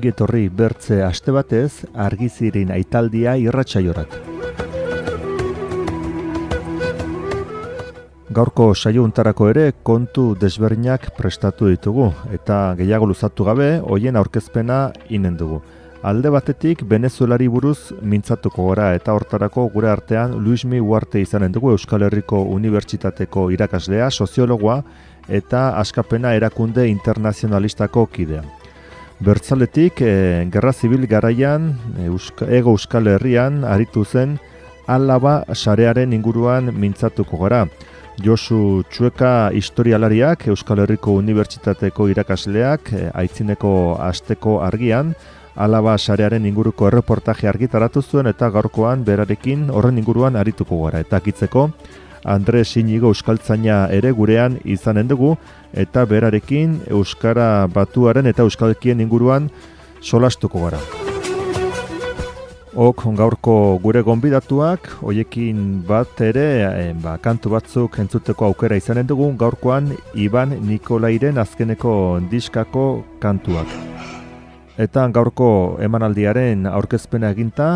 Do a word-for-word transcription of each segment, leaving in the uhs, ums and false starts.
ongi etorri bertze aste batez Argiziren aitaldia irratsaiorat. Gaurko saio hontarako ere kontu desberdinak prestatu ditugu eta gehiago luzatu gabe hoien aurkezpena inen dugu. Alde batetik Venezuelari buruz mintzatuko gora eta hortarako gure artean Luismi Uarte izanen dugu, Euskal Herriko Unibertsitateko irakaslea, soziologoa eta Askapena erakunde internazionalistako kidea. Bertzaletik, e, Gerra Zibil garaian, e, Euska, Ego Euskal Herrian aritu zen Alaba sarearen inguruan mintzatuko gara. Josu Txueka historialariak, Euskal Herriko Unibertsitateko irakasleak, e, aitzineko asteko argian, Alaba sarearen inguruko erreportaje argitaratu zuen eta gaurkoan berarekin horren inguruan arituko gara. Eta kitzeko, Andres Inigo euskaltzaina ere gurean izanen dugu eta berarekin euskara batuaren eta euskalkien inguruan solastuko gara. Ok, gaurko gure gonbidatuak, hoiekin bat ere, e, ba, kantu batzuk entzuteko aukera izanen dugu, gaurkoan Iban Nikolairen azkeneko diskako kantuak. Eta gaurko emanaldiaren aurkezpena eginta,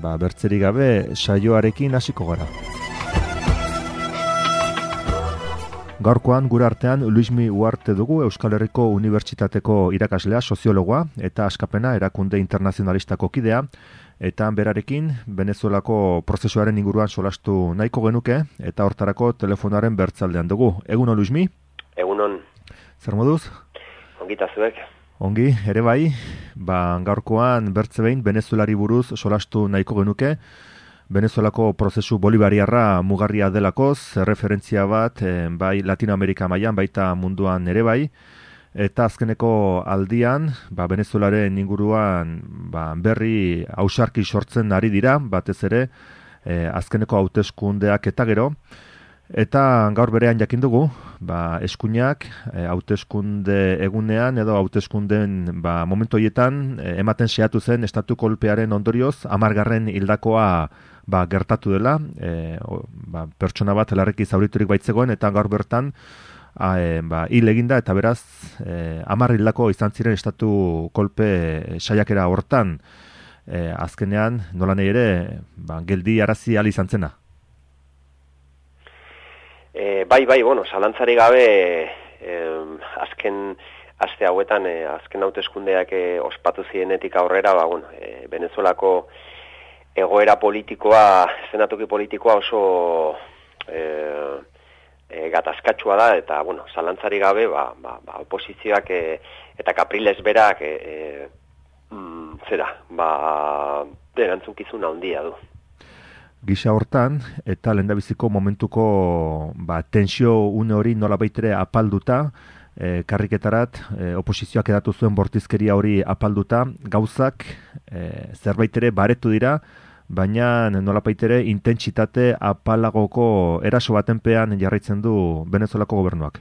ba, bertzerik gabe saioarekin hasiko gara. Gaurkoan gure artean Luismi Uarte dugu, Euskal Herriko Unibertsitateko irakaslea, soziologoa eta Askapena erakunde internazionalistako kidea, eta berarekin Venezuelako prozesuaren inguruan solastu nahiko genuke eta hortarako telefonaren bertzaldean dugu. Egunon, Luismi? Egunon. Zer moduz? Ongita zuek. Ongi, ere bai, ba, gaurkoan bertze behin Venezuelari buruz solastu nahiko genuke. Venezuelako prozesu bolivariarra mugarria delakoz, referentzia bat, e, bai Latinoamerika mailan baita munduan ere bai, eta azkeneko aldian, ba, Venezuelaren inguruan ba, berri ausarki sortzen ari dira, batez ere, e, azkeneko hauteskundeak eta gero, eta gaur berean jakin dugu, ba, eskuinak e, hauteskunde egunean edo hauteskundeen ba, momentu horietan e, ematen saiatu zen estatu kolpearen ondorioz hamargarren hildakoa ba, gertatu dela, e, o, ba, pertsona bat larriki zauriturik baitzegoen eta gaur bertan a, e, ba, hil eginda eta beraz e, hamar hildako izan ziren estatu kolpe saiakera hortan, e, azkenean nola nahi ere ba, geldi arazi ahal izan zena. E, bai, bai, bueno, zalantzari gabe e, azken aste hauetan, e, azken hauteskundeak e, ospatu zienetik aurrera, ba, bueno, e, Venezuelako egoera politikoa, zenatoki politikoa oso e, e, gatazkatsua da, eta, bueno, zalantzari gabe, ba, ba, ba oposizioak e, eta Capriles berak e, e, mm, zera, ba, erantzunkizuna handia du. Gisa hortan, eta lehendabiziko momentuko ba, tensio une hori nola baitere apalduta, e, karriketarat, e, oposizioak edatu zuen bortizkeria hori apalduta, gauzak e, zerbait ere baretu dira, baina nola baitere intentsitate apalagoko eraso batenpean jarraitzen du Venezuelako gobernuak.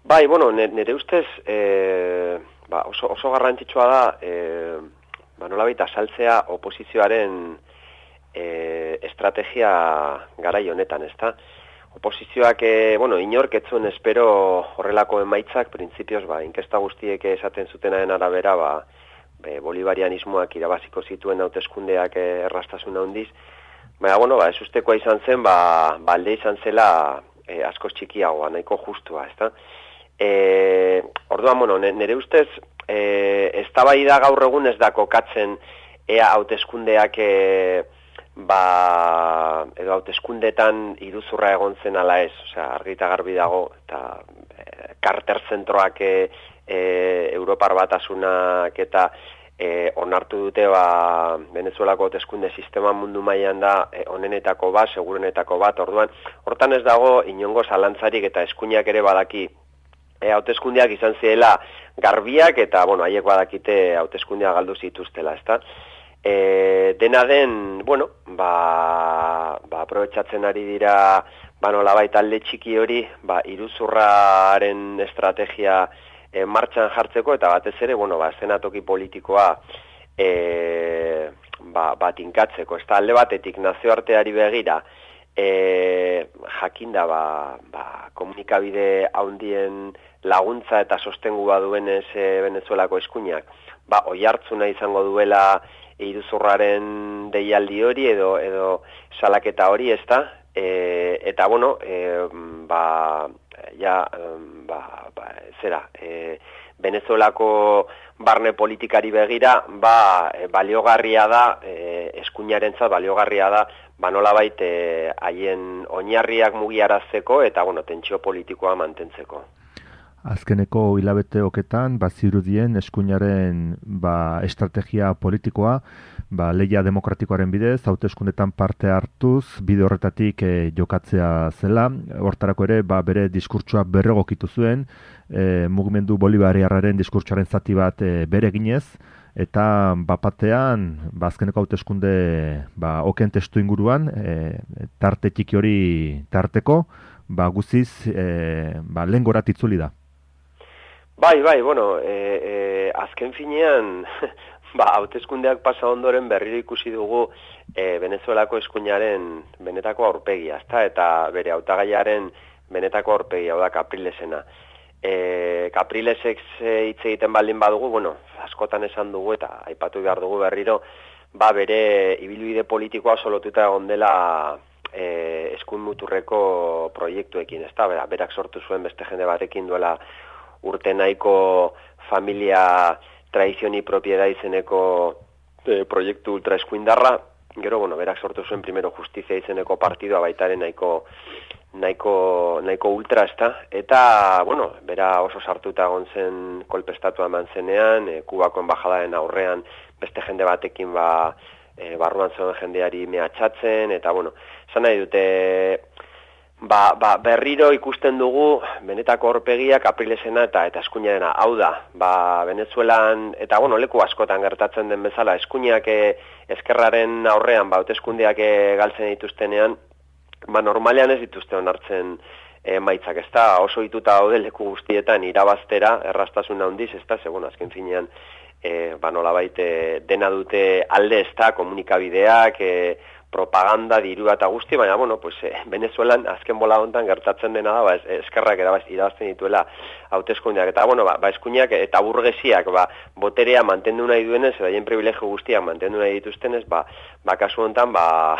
Bai, bueno, nire ustez e, ba, oso, oso garrantzitsua da, e, ba, nola baita saltzea oposizioaren E, estrategia garai honetan, ezta? Oposizioak, e, bueno, inork ez zuen espero horrelako emaitzak, printzipioz, ba, inkesta guztiek esaten zutenaren arabera, ba, be, bolivarianismoak irabaziko zituen hauteskundeak e, errastasun handiz, baina, bueno, ba, ez ustekoa izan zen, ba, balde izan zela e, askoz txikiagoa, nahiko justua, ezta? E, orduan, bueno, nire ustez, e, eztabaida gaur egun ez da kokatzen ea hauteskundeak e, ba, edo hauteskundetan iruzurra egon zen ala ez, osea, argi eta garbi dago, eta e, Carter zentroak e, e, Europar Batasunak eta e, onartu dute ba, Venezuelako hauteskunde sistema mundu mailan da e, onenetako bat, segurenetako bat, orduan, hortan ez dago inongo zalantzarik eta eskuinak ere badaki e, hauteskundeak izan ziela garbiak eta, bueno, haiek badakite hauteskundeak galdu zituztela, ezta? E, dena den, bueno, ba, ba aprobetxatzen ari dira, ba nolabait alde txiki hori, ba iruzurraren estrategia e, martxan jartzeko eta batez ere, bueno, ba eszenatoki politikoa e, ba, ba tinkatzeko. Ez da alde batetik nazioarteari begira, e, jakinda ba, ba, komunikabide handien laguntza eta sostengua duenez e, Venezuelako eskuinak, ba, oihartzuna izango duela iruzurraren deialdi hori edo edo salaketa hori, ezta? E, eta bueno, e, ba, ja, ba, ba, zera, e, Venezuelako barne politikari begira, ba, e, baliogarria da, e, eskuinarentzat baliogarria da, ba, nolabait e, haien oinarriak mugiarazteko eta bueno, tentsio politikoa mantentzeko. Azkeneko hilabete oketan, bazirudien eskuinaren ba, estrategia politikoa, ba, lehia demokratikoaren bidez, hauteskundetan parte hartuz, bide horretatik e, jokatzea zela. Hortarako ere, ba, bere diskurtsoa berregokitu zuen, e, mugimendu bolivariarraren diskurtsoaren zati bat e, bere ginez, eta bapatean, ba, azkeneko hauteskunde ba, oken testu inguruan, e, tarte txiki hori tarteko, ba, guziz e, ba, lehen gorat itzuli da. Bai, bai, bueno, e, e, azken finean, ba, hauteskundeak pasa ondoren berriro ikusi dugu e, Venezuelako eskuinaren benetako aurpegia, ezta? Eta bere hautagaiaren benetako aurpegia, hau da, Caprilesena. E, Caprilesek hitz egiten baldin badugu, bueno, askotan esan dugu eta aipatu behar dugu berriro, ba, bere ibilbide politikoa solotuta egon dela e, eskuin muturreko proiektuekin, ezta? Bera, berak sortu zuen beste jende batekin duela urte nahiko familia tradizioni propiedad izeneko e, proiektu ultra eskuindarra, gero, bueno, berak sortu zuen primero justizia izeneko partidua baitaren nahiko nahiko, nahiko ultra, ezta? Eta, bueno, bera oso sartuta egon zen kolpestatua eman zenean, e, Kubako embajadaren aurrean beste jende batekin ba, e, barruan zegoen jendeari mehatxatzen, eta, bueno, esan nahi dute, Ba, ba, berriro ikusten dugu benetako aurpegia Caprilesena eta eta eskuinarena. Hau da, ba, Venezuelan, eta bueno, leku askotan gertatzen den bezala, eskuinak e, eskerraren aurrean, ba, hauteskundeak e, galtzen dituztenean, ba, normalean ez dituzte onartzen e, maitzak, ez da, oso hituta daude leku guztietan irabaztera, erraztasun handiz, ez da, segun azken finean, e, ba, nolabait e, dena dute alde, ez da, komunikabideak, e, propaganda, dirua eta guzti, baina, bueno, pues, eh, Venezuelan azken bola hontan gertatzen dena da, ba, eskerrak irabazten dituela hauteskundeak. Eta, bueno, ba, ba eskuinak eta burgesiak, ba, boterea mantendu nahi duenez, eta haien privilegio guztiak mantendu nahi dituztenez, ba, ba kasu hontan, ba,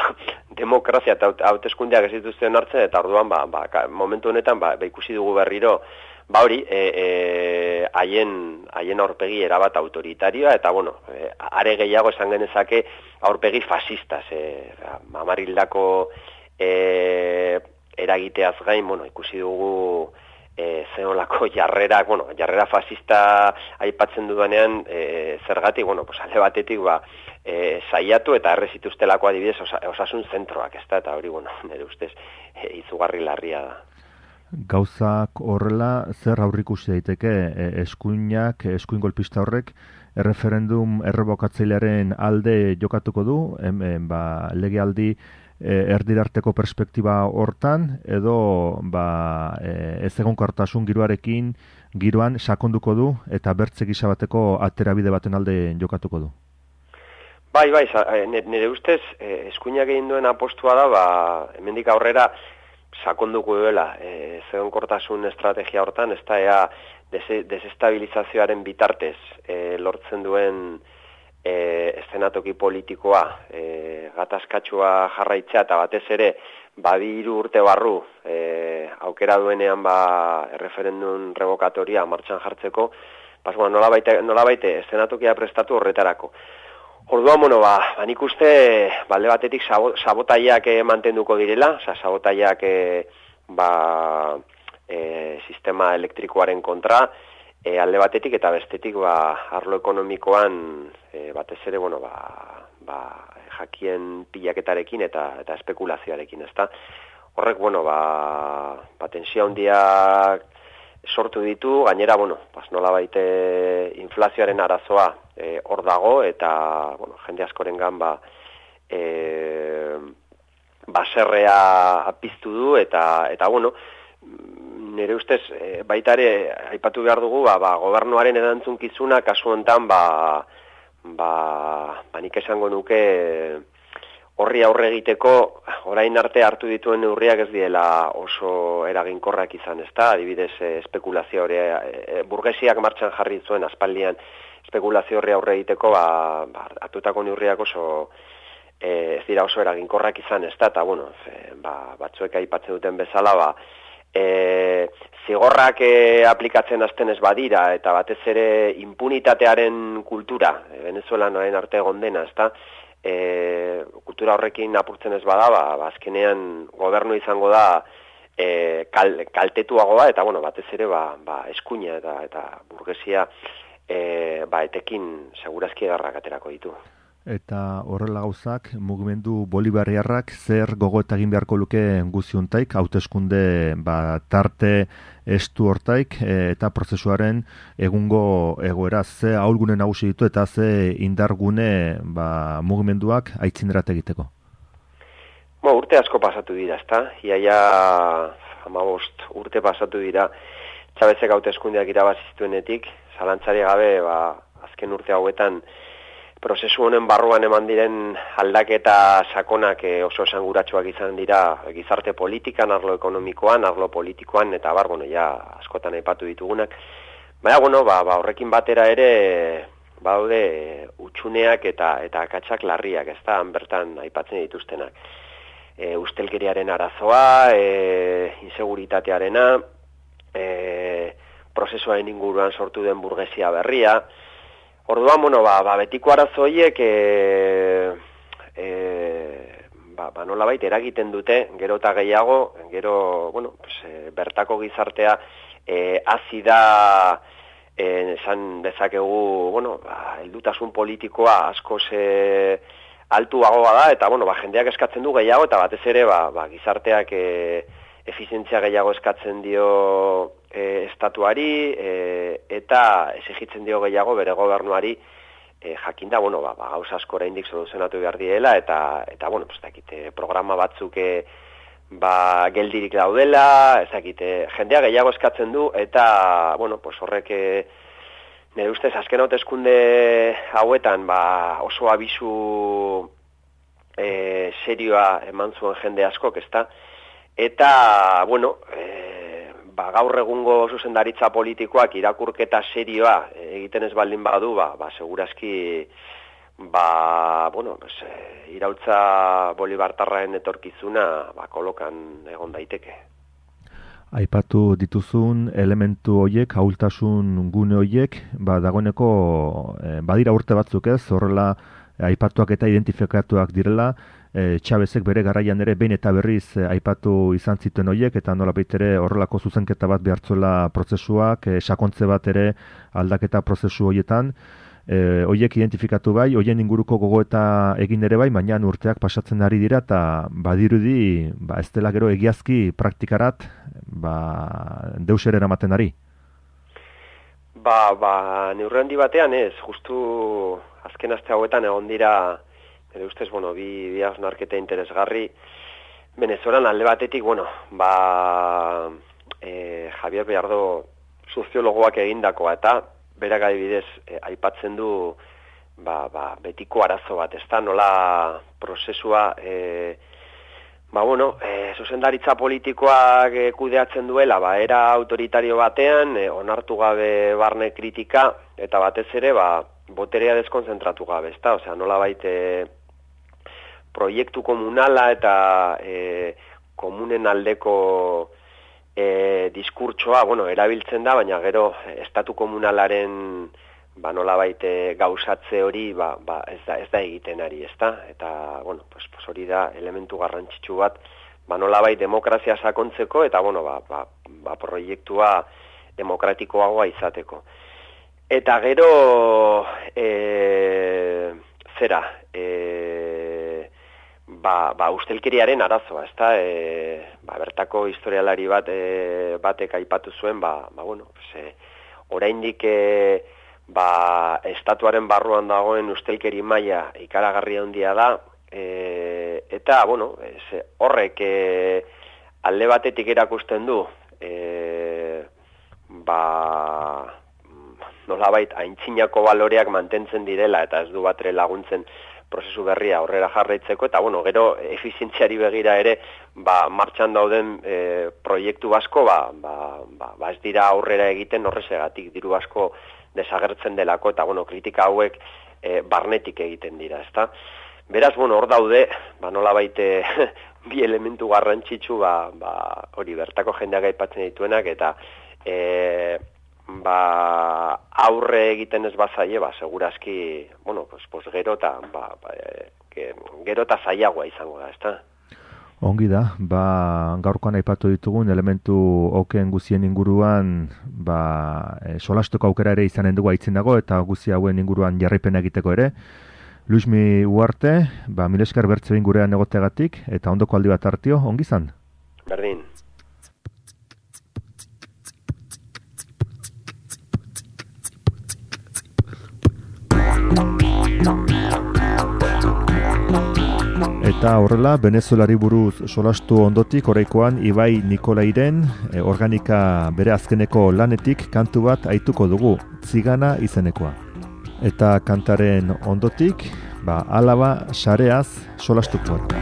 demokrazia eta hauteskundeak ez dituzten hartzen, eta orduan, ba, ba, momentu honetan, ba, ba, ikusi dugu berriro, ba hori, haien e, e, aurpegi erabat autoritarioa, eta, bueno, e, are gehiago esan genezake aurpegi fasistaz, e, amarildako e, eragiteaz gain, bueno, ikusi dugu e, zenolako jarrera, bueno, jarrera fasista aipatzen dudanean, e, zergatik, bueno, pues, alde batetik, ba, e, saiatu eta errezituztelako adibidez osa, osasun zentroak, ez da, eta hori, bueno, nire ustez, e, izugarri larria da. Gauzak horrela, zer aurrikusi daiteke e, eskuinak, eskuin golpista horrek, erreferendum errebokatzailearen alde jokatuko du, hemen, ba, legealdi e, erdirarteko perspektiba hortan, edo ba, e, ez egonkortasun giroarekin, giroan sakonduko du, eta bertze gisa bateko aterabide baten alde jokatuko du. Bai, bai, nire ustez, eskuinak egin duen apostua da, ba, hemendik aurrera, sakonduko duela, e, zegonkortasun estrategia hortan, ez da ea desestabilizazioaren bitartez e, lortzen duen e, eszenatoki politikoa, e, gatazkatsua jarraitzea eta batez ere, badi hiru urte barru e, aukera duenean ba, erreferendum revokatoria martxan jartzeko, pas, bueno, nola baite, nola baite eszenatokia prestatu horretarako. Orduan, bueno, ba, ba nik uste, balde batetik sabotaiak eh, mantenduko direla, oza, sabotaiak eh, ba, eh, sistema elektrikoaren kontra, eh, alde batetik eta bestetik, ba, arlo ekonomikoan, eh, batez ere, bueno, ba, ba, jakien pilaketarekin eta, eta espekulazioarekin, ezta? Horrek, bueno, ba, ba tensia handiak sortu ditu, gainera, bueno, pas nola baite inflazioaren arazoa e, hor dago, eta, bueno, jende askorengan ba, e, baserrea apiztu du, eta, eta bueno, nire ustez, e, baita ere, aipatu behar dugu, ba, ba, gobernuaren erantzunkizuna, kasu honetan, ba, ba, ba nik esango nuke, horri aurre egiteko orain arte hartu dituen neurriak ez diela oso eraginkorrak izan, ezta? Adibidez, eh, espekulazio hori eh, burgesiak martxan jarri zuen aspaldian espekulazio horri aurre egiteko, ba, ba hartutako neurriak oso eh, ez dira oso eraginkorrak izan, ezta? Eta bueno, e, ba, batzuek aipatzen duten bezala, ba E, zigorrak e, aplikatzen hasten ez badira, eta batez ere impunitatearen kultura, e, Venezuelan orain arte egon dena, ezta? E, kultura horrekin apurtzen ez bada, ba, ba azkenean gobernu izango da e, kal, kaltetuagoa, eta bueno, batez ere ba, ba eskuina eta eta burgesia e, ba etekin segurazki edarrak aterako ditu. Eta horrela gauzak, mugimendu bolivariarrak zer gogoeta egin beharko luke guziuntaik, hauteskunde ba, tarte estu hortaik, e, eta prozesuaren egungo egoera ze ahulgune nagusi ditu eta ze indargune ba, mugimenduak aitzinderat egiteko? Bo, urte asko pasatu dira, ezta? Iaia hamabost urte pasatu dira, Txabezek hauteskundeak irabaziztuenetik, zalantzari gabe, ba, azken urte hauetan, prozesu honen barruan eman diren aldaketa sakonak oso esanguratsuak izan dira gizarte politikan, arlo ekonomikoan, arlo politikoan, eta bar, bueno, ja, askotan aipatu ditugunak. Baina, bueno, ba, ba, horrekin batera ere, baude, utxuneak eta eta akatsak larriak, ez da, bertan aipatzen dituztenak. E, ustelkeriaren arazoa, e, inseguritatearena, e, prozesuaren inguruan sortu den burgesia berria. Orduan, bueno, ba, ba betiko arazo horiek e, e, ba, ba nolabait eragiten dute, gero eta gehiago, gero, bueno, pues, e, bertako gizartea e, hasi da, e, esan dezakegu, bueno, ba, heldutasun politikoa askoz e, altuagoa da, eta, bueno, ba, jendeak eskatzen du gehiago, eta batez ere, ba, ba gizarteak e, efizientzia gehiago eskatzen dio e, estatuari e, eta exigitzen dio gehiago bere gobernuari e, jakinda, bueno, ba, ba, gauza asko oraindik soluzionatu behar diela eta, eta bueno, pues, dakite, programa batzuk e, ba, geldirik daudela, ez dakite, jendea gehiago eskatzen du eta, bueno, pues, horrek e, nire ustez azken hauteskunde hauetan ba, oso abisu e, serioa eman zuen jende askok, ezta? Eta, bueno, e, ba, gaur egungo zuzendaritza politikoak irakurketa serioa egiten ez baldin badu, ba, ba segurazki, ba, bueno, pues, e, iraultza bolibartarraen etorkizuna ba, kolokan egon daiteke. Aipatu dituzun elementu hoiek, ahultasun gune hoiek, ba, dagoeneko e, badira urte batzuk ez, horrela aipatuak eta identifikatuak direla, e, Txabezek bere garaian ere behin eta berriz e, aipatu izan zituen hoiek, eta nolabait ere horrelako zuzenketa bat behartzuela prozesuak, e, sakontze bat ere aldaketa prozesu hoietan, e, hoiek identifikatu bai, hoien inguruko gogoeta egin ere bai, baina urteak pasatzen ari dira, eta badirudi, ba, ez dela gero egiazki praktikarat, ba, deus ere eramaten ari. Ba, ba, neurri handi batean ez, justu azken aste hauetan egon dira, ere ustez, bueno, bi, bi hausnarketa interesgarri, Venezuelan alde batetik, bueno, ba, e, Javier Beardo soziologoak egindakoa, eta berak adibidez e, aipatzen du, ba, ba, betiko arazo bat, ez da, nola prozesua, e, ba, bueno, e, zuzendaritza politikoak e, kudeatzen duela, ba, era autoritario batean, e, onartu gabe barne kritika, eta batez ere, ba, boterea deskonzentratu gabe, ezta? Osea, nolabait e, proiektu komunala eta e, komunen aldeko e, diskurtsoa, bueno, erabiltzen da, baina gero estatu komunalaren ba nolabait e, gauzatze hori ba, ba, ez da ez da egiten ari, ezta? Eta bueno, pues, pues hori da elementu garrantzitsu bat, ba nolabait demokrazia sakontzeko eta bueno, ba, ba, ba proiektua demokratikoagoa izateko. Eta gero, e, zera, e, ba, ba ustelkeriaren arazoa, ezta? E, ba, bertako historialari bat, e, batek aipatu zuen, ba, ba bueno, ze, oraindik e, ba, estatuaren barruan dagoen ustelkeri maila ikaragarria handia da, e, eta, bueno, ez, horrek e, alde batetik erakusten du, e, ba... nolabait aintzinako baloreak mantentzen direla eta ez du batre laguntzen prozesu berria aurrera jarraitzeko, eta bueno, gero efizientziari begira ere, ba, martxan dauden e, proiektu asko, ba, ba, ba, ba ez dira aurrera egiten horrezegatik, diru asko desagertzen delako, eta bueno, kritika hauek e, barnetik egiten dira, ezta? Beraz, bueno, hor daude, ba, nola baite bi elementu garrantzitsu, ba, ba, hori bertako jendeak aipatzen dituenak, eta e, ba, aurre egiten ez bazaie, ba, segurazki, bueno, pues, pues gero eta ba, ba, e, gero eta zailagoa izango da, ezta? Ongi da, ba, gaurkoan aipatu ditugun elementu oken guzien inguruan, ba, e, solasteko aukera ere izanen dugu aitzen dago, eta guzi hauen inguruan jarraipena egiteko ere. Luismi Uarte, ba, mil esker bertzein gurean egoteagatik, eta ondoko aldi bat hartio, ongi zan? Berdin. Eta horrela, Venezuelari buruz solastu ondotik, oraikoan Ibai Nikolairen e, organika bere azkeneko lanetik kantu bat aituko dugu, Zigana izenekoa. Eta kantaren ondotik, ba, Alaba sareaz solastuko bat.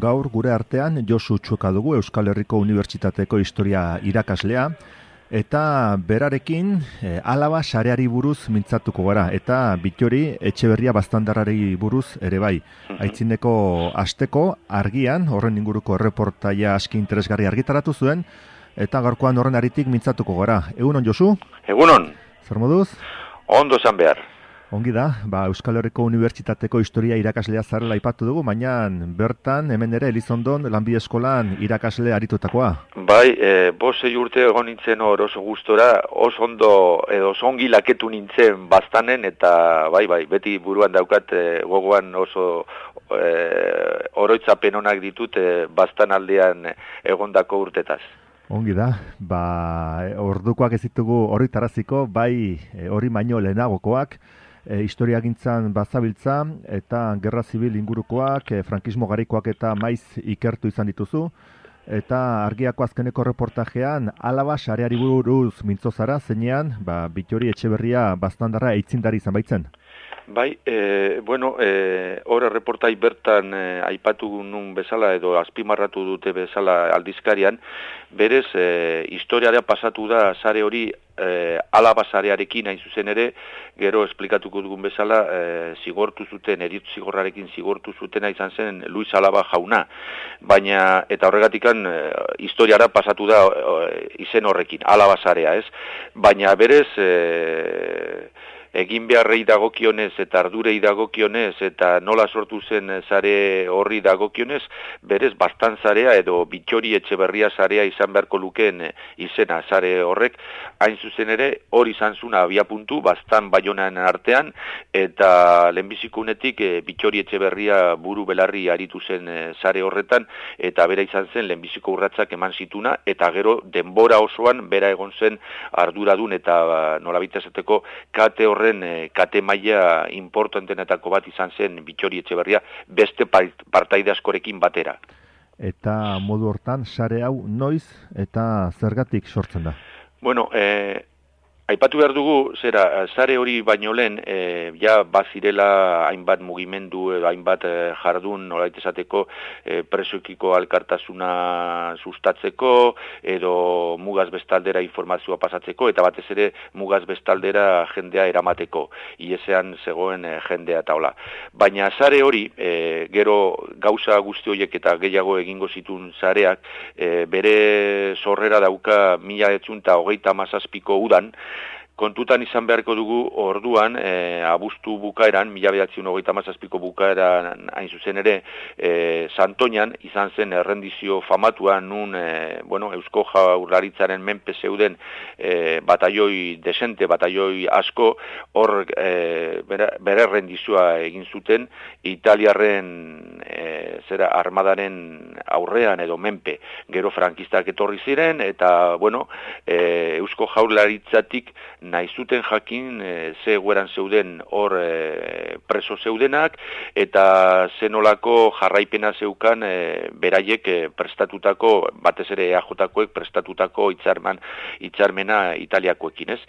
Gaur gure artean Josu Txuka dugu Euskal Herriko Unibertsitateko historia irakaslea, eta berarekin e, Alaba sareari buruz mintzatuko gara, eta Bittori Etxeberria Baztandarrari buruz ere bai. Aitzineko asteko argian, horren inguruko erreportaia aski interesgarri argitaratu zuen, eta gaurkoan horren aritik mintzatuko gara. Egunon, Josu? Egunon. Zer moduz? Ondo zan behar. Ongi da, ba, Euskal Herriko Unibertsitateko historia irakaslea zarela aipatu dugu, baina bertan hemen ere Elizondon lanbide eskolan irakasle aritutakoa. Bai, e, bosei urte egon nintzen hor oso gustora, oso ondo edo oso ongi laketu nintzen bastanen, eta bai, bai, beti buruan daukat e, gogoan oso e, oroitzapen onak ditut e, bastan aldean egondako urtetaz. Ongi da, ba, ordukoak ez ditugu hori taraziko, bai hori baino lehenagokoak, E, historiagintzan bazabiltza eta gerra zibil ingurukoak, e, frankismo garikoak eta maiz ikertu izan dituzu, eta argiako azkeneko reportajean Alaba sareari buruz mintzo zara, zeinean, ba, Bittori Etxeberria Baztandarra eitzindari izan baitzen. Bai, e, bueno, e, hor reportai bertan e, aipatu nun bezala edo azpimarratu dute bezala aldizkarian, berez e, historiara pasatu da sare hori e, Alaba sarearekin hain zuzen ere, gero esplikatuko dugun bezala e, zigortu zuten, eritz zigorrarekin zigortu zutena izan zen Luis Alaba jauna, baina eta horregatikan e, historiara pasatu da e, izen horrekin, Alaba sarea, ez? Baina berez e, egin beharrei dagokionez eta ardurei dagokionez eta nola sortu zen sare horri dagokionez, berez bastan zarea edo Bittori Etxeberria zarea izan beharko lukeen izena zare horrek, hain zuzen ere hori izan zuna abia puntu bastan Baionan artean, eta lehenbizikunetik e, Bittori Etxeberria buru belarri aritu zen e, zare horretan, eta bera izan zen lehenbiziko urratsak eman zituna, eta gero denbora osoan bera egon zen arduradun eta nolabait esateko kate horren e, kate maila importantenetako bat izan zen Bittori Etxeberria beste partaide askorekin batera. Eta modu hortan sare hau noiz eta zergatik sortzen da? Bueno, eh, aipatu behar dugu, zera, sare hori baino lehen, e, ja bazirela hainbat mugimendu edo hainbat e, jardun nolait esateko e, presoekiko alkartasuna sustatzeko edo mugaz bestaldera informazioa pasatzeko eta batez ere mugaz bestaldera jendea eramateko, iesean zegoen e, jendea eta hola. Baina sare hori, e, gero gauza guzti horiek eta gehiago egingo zituen sareak, e, bere sorrera dauka mila bederatziehun eta hogeita hamazazpiko udan, kontutan izan beharko dugu orduan, e, abuztu bukaeran, mila bederatziehun eta hogeita hamazazpiko bukaeran hain zuzen ere, e, Santoñan izan zen errendizio famatua, nun e, bueno, Eusko Jaurlaritzaren menpe zeuden e, bataioi desente, bataioi asko, hor e, bere, bere errendizioa egin zuten, Italiarren e, zera armadaren aurrean edo menpe, gero frankistak etorri ziren, eta bueno, e, Eusko Jaurlaritzatik nahi zuten jakin e, ze egoeran zeuden hor e, preso zeudenak eta zenolako jarraipena zeukan e, beraiek e, prestatutako, batez ere E A J-koek prestatutako hitzarmen, hitzarmena Italiakoekin, ez?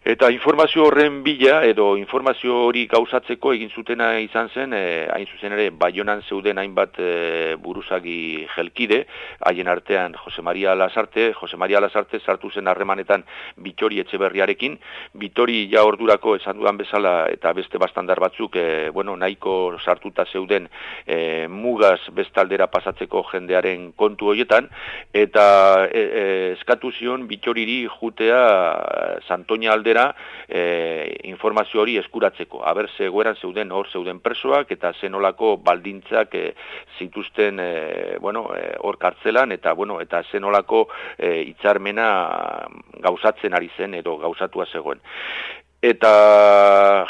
Eta informazio horren bila, edo informazio hori gauzatzeko egin zutena izan zen, e, hain zuzen ere, Baionan zeuden hainbat e, buruzagi jelkide, haien artean Jose Maria Lasarte, Jose Maria Lasarte sartu zen harremanetan Bittori Etxeberriarekin, Bittori ja ordurako esan dudan bezala eta beste bastandar batzuk, e, bueno, nahiko sartuta zeuden e, mugaz bestaldera pasatzeko jendearen kontu horietan, eta e, e, eskatu zion Bittoriri jutea Santoña aldera E, informazio hori eskuratzeko. Aber, zegoeran zeuden hor zeuden presoak eta zenolako baldintzak e, zituzten e, bueno, e, hor kartzelan eta bueno, eta zenolako e, hitzarmena gauzatzen ari zen edo gauzatua zegoen. Eta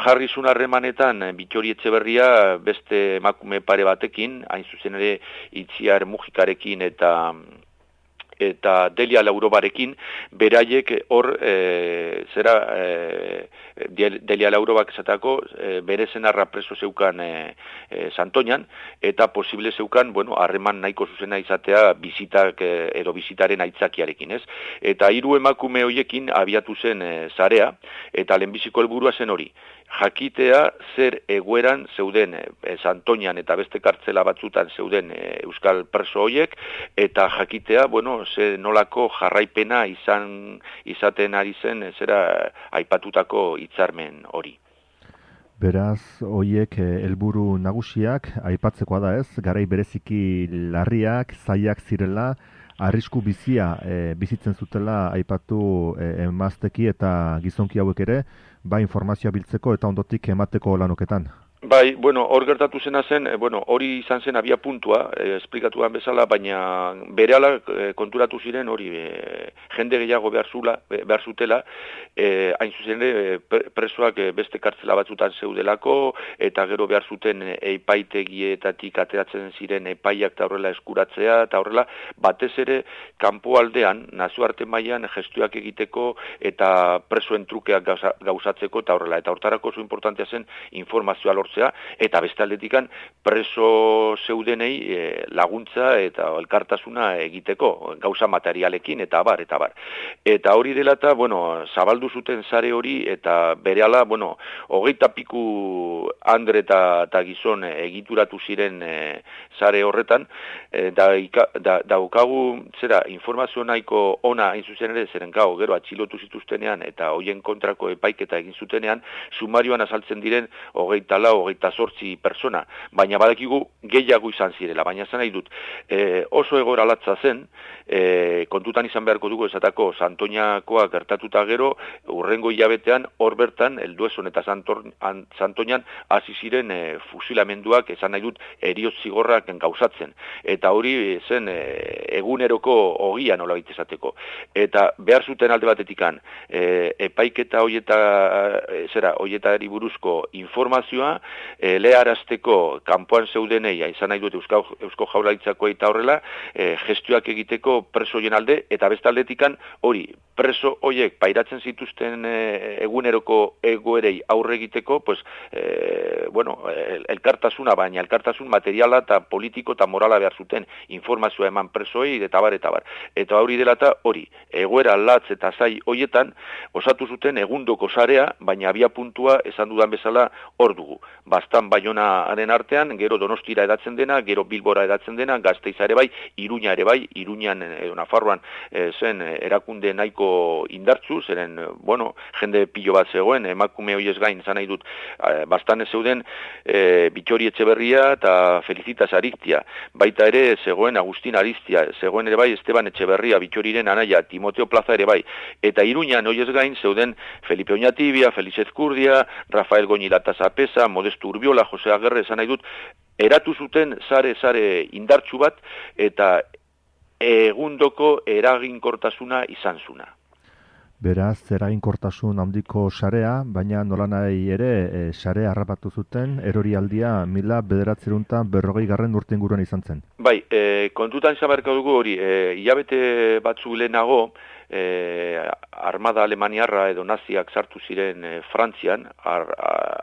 jarri zuen harremanetan Bittori Etxeberria beste emakume pare batekin, hain zuzen ere Itziar Mujikarekin eta eta Delia Laurobarekin, beraiek hor, e, zera, e, Delia Laurobak esatako, e, bere zenarra preso zeukan e, e, Santoñan, eta posible zeukan, bueno, harreman nahiko zuzena izatea bizitak e, edo bizitaren aitzakiarekin, ez? Eta hiru emakume hoiekin abiatu zen e, zarea, eta lehenbiziko helburua zen hori. Jakitea zer egoeran zeuden e, Santoñan eta beste kartzela batzutan zeuden e, euskal preso hoiek, eta jakitea, bueno, ze nolako jarraipena izan izaten ari zen e, zera aipatutako hitzarmen hori. Beraz, hoiek helburu nagusiak aipatzekoa da, ez? Garai bereziki larriak, zailak zirela, arrisku bizia e, bizitzen zutela aipatu e, emazteki eta gizonki hauek ere, ba informazioa biltzeko eta ondotik emateko lanuketan. Bai, bueno, hor gertatu zena zen, e, bueno, hori izan zen abia puntua, e, esplikatuan bezala, baina berehala e, konturatu ziren hori e, jende gehiago behar, zula, behar zutela, e, hain zuzen ere presoak e, beste kartzela batzutan zeudelako, eta gero behar zuten epaitegietatik ateratzen ziren epaiak eta horrela eskuratzea, eta horrela batez ere kanpoaldean, nazioarte mailan gestioak egiteko eta presoen trukeak gauza, gauzatzeko eta horrela, eta hortarako oso importantea zen informazioa lortzea, eta beste aldetikan preso zeudenei e, laguntza eta elkartasuna egiteko, gauza materialekin eta abar, eta abar. Eta hori dela eta, bueno, zabaldu zuten sare hori, eta berehala, bueno, hogeita piku andre eta, eta gizon egituratu ziren e, sare horretan, e, da, da, daukagu, zera, informazio nahiko ona hain zuzen ere, zeren gau, gero atxilotu zituztenean, eta hoien kontrako epaiketa egin zutenean, sumarioan azaltzen diren hogeita lau hogeita zortzi persona, baina badakigu gehiago izan zirela, baina zan nahi dut, e, oso egoera latza zen, e, kontutan izan beharko dugu esatako Santoñakoa gertatuta gero, urrengo hilabetean, hor bertan, Elduezon eta Santoñan, hasi ziren e, fusilamenduak, esan nahi dut, eriotz zigorrak gauzatzen. Eta hori zen e, eguneroko ogia nola baita esateko. Eta behar zuten alde batetikan, e, epaiketa hoieta, e, zera, hoietari buruzko informazioa, e, leharazteko kanpoan zeudenei, izan nahi dut Eusko, Eusko Jaurlaritzako eta horrela, e, gestioak egiteko preso hoien alde, eta bestaldetikan hori, preso hoiek pairatzen zituzten e, eguneroko egoerei aurre egiteko, pues, e, bueno, el, elkartasuna, baina elkartasun materiala eta politiko eta morala behar zuten informazioa eman presoei eta bar, eta bar. Eta hori dela eta hori, egoera latz eta zai hoietan, osatu zuten egundoko sarea, baina abia puntua esan dudan bezala hor dugu. Bastan Baionaren artean, gero Donostira edatzen dena, gero Bilbora edatzen dena, Gasteiza ere bai, Iruña ere bai, Iruñan, e, Nafarroan e, zen erakunde nahiko indartzu, zeren, bueno, jende pilo bat zegoen, emakume hoiez gain, zan nahi dut, e, bastan ez zeuden e, Bitxori Etxeberria eta Felicitas Ariztia, baita ere zegoen Agustin Ariztia, zegoen ere bai Esteban Etxeberria, Bitxoriren anaia, Timoteo Plaza ere bai, eta Iruñan hoiez gain zeuden Felipe Oñatibia, Felix Ezkurdia, Rafael Goñilata Zapesa, Modesto Urbiola, Jose Agerre, esan nahi dut, eratu zuten sare-sare indartsu bat, eta egundoko eraginkortasuna izan zuna. Beraz, eraginkortasun handiko sarea, baina nolanahi ere e, sarea harrapatu zuten, erorialdia mila bederatzeruntan berrogei garren urte inguruan izan zen. Bai, e, kontutan izan beharko dugu hori, e, hilabete batzu lehenago, E, armada alemaniarra edo naziak sartu ziren e, Frantzian, ar,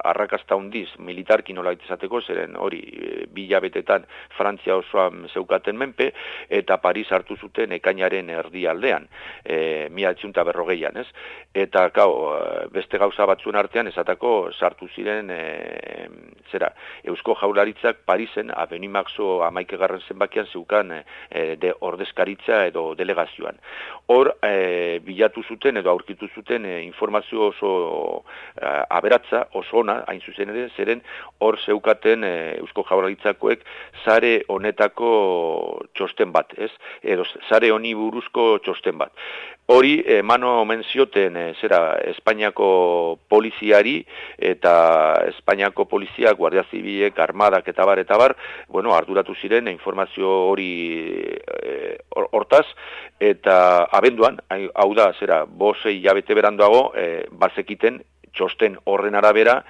arrakasta hundiz militarki nola izateko, zeren hori e, bi hilabetetan Frantzia osoan zeukaten menpe, eta Paris hartu zuten ekainaren erdialdean, e, mila etziunta berrogeian, ez? Eta, gau, beste gauza batzuen artean, esatako sartu ziren, e, zera, Eusko Jaurlaritzak Parisen, Avenue Marceau hamaikagarren zenbakian zeukan e, de ordezkaritza edo delegazioan. Hor, e, E, bilatu zuten edo aurkitu zuten e, informazio oso e, aberatza, oso ona, hain zuzen ere, zeren hor zeukaten e, Eusko Jaurlaritzakoek sare honetako txosten bat, ez? Edo sare honi buruzko txosten bat. Hori, emano omen zioten, e, zera, Espainiako poliziari eta Espainiako poliziak, Guardia Zibilek, Armadak eta bar, eta bar, bueno, arduratu ziren informazio hori e, hortaz, eta abenduan, hau da, zera, bosei hilabete beranduago, e, bazekiten txosten horren arabera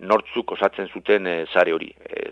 nortzuk osatzen zuten e, sare hori. E,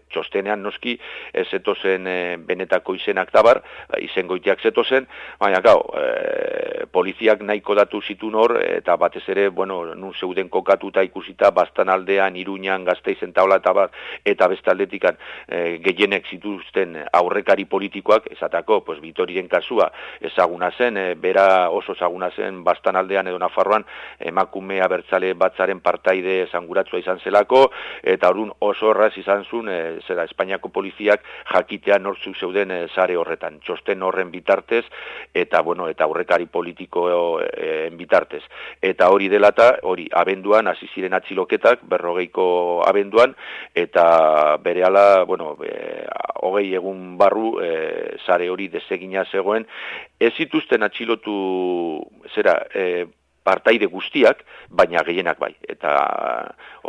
txostenean noski ez zetozen e, benetako izenak tabar, izengoitiak zetozen, baina gau, e, poliziak nahiko datu zitun hor, eta batez ere, bueno, nun zeuden kokatuta ikusita, Bastan aldean, Iruñan, Gasteizen taula eta bat, eta bestaldetikan e, gehienek zituzten aurrekari politikoak, esatako, pues, Bitoriren kasua ezaguna zen, e, bera oso ezaguna zen Bastan aldean edo Nafarroan, emakume abertzale batzaren partaide esanguratzua izan zelako, eta orduan oso horraz izan zuen, e, zera, Espainiako poliziak jakitea nortzuk zeuden e, sare horretan, txosten horren bitartez, eta, bueno, eta aurrekari politikoen bitartez. Eta hori delata, hori abenduan, hasi ziren atxiloketak, berrogeiko abenduan, eta berehala, bueno, e, hogei egun barru, e, sare hori desegina zegoen, ez zituzten atxilotu, zera, e, partaide guztiak, baina gehienak bai. Eta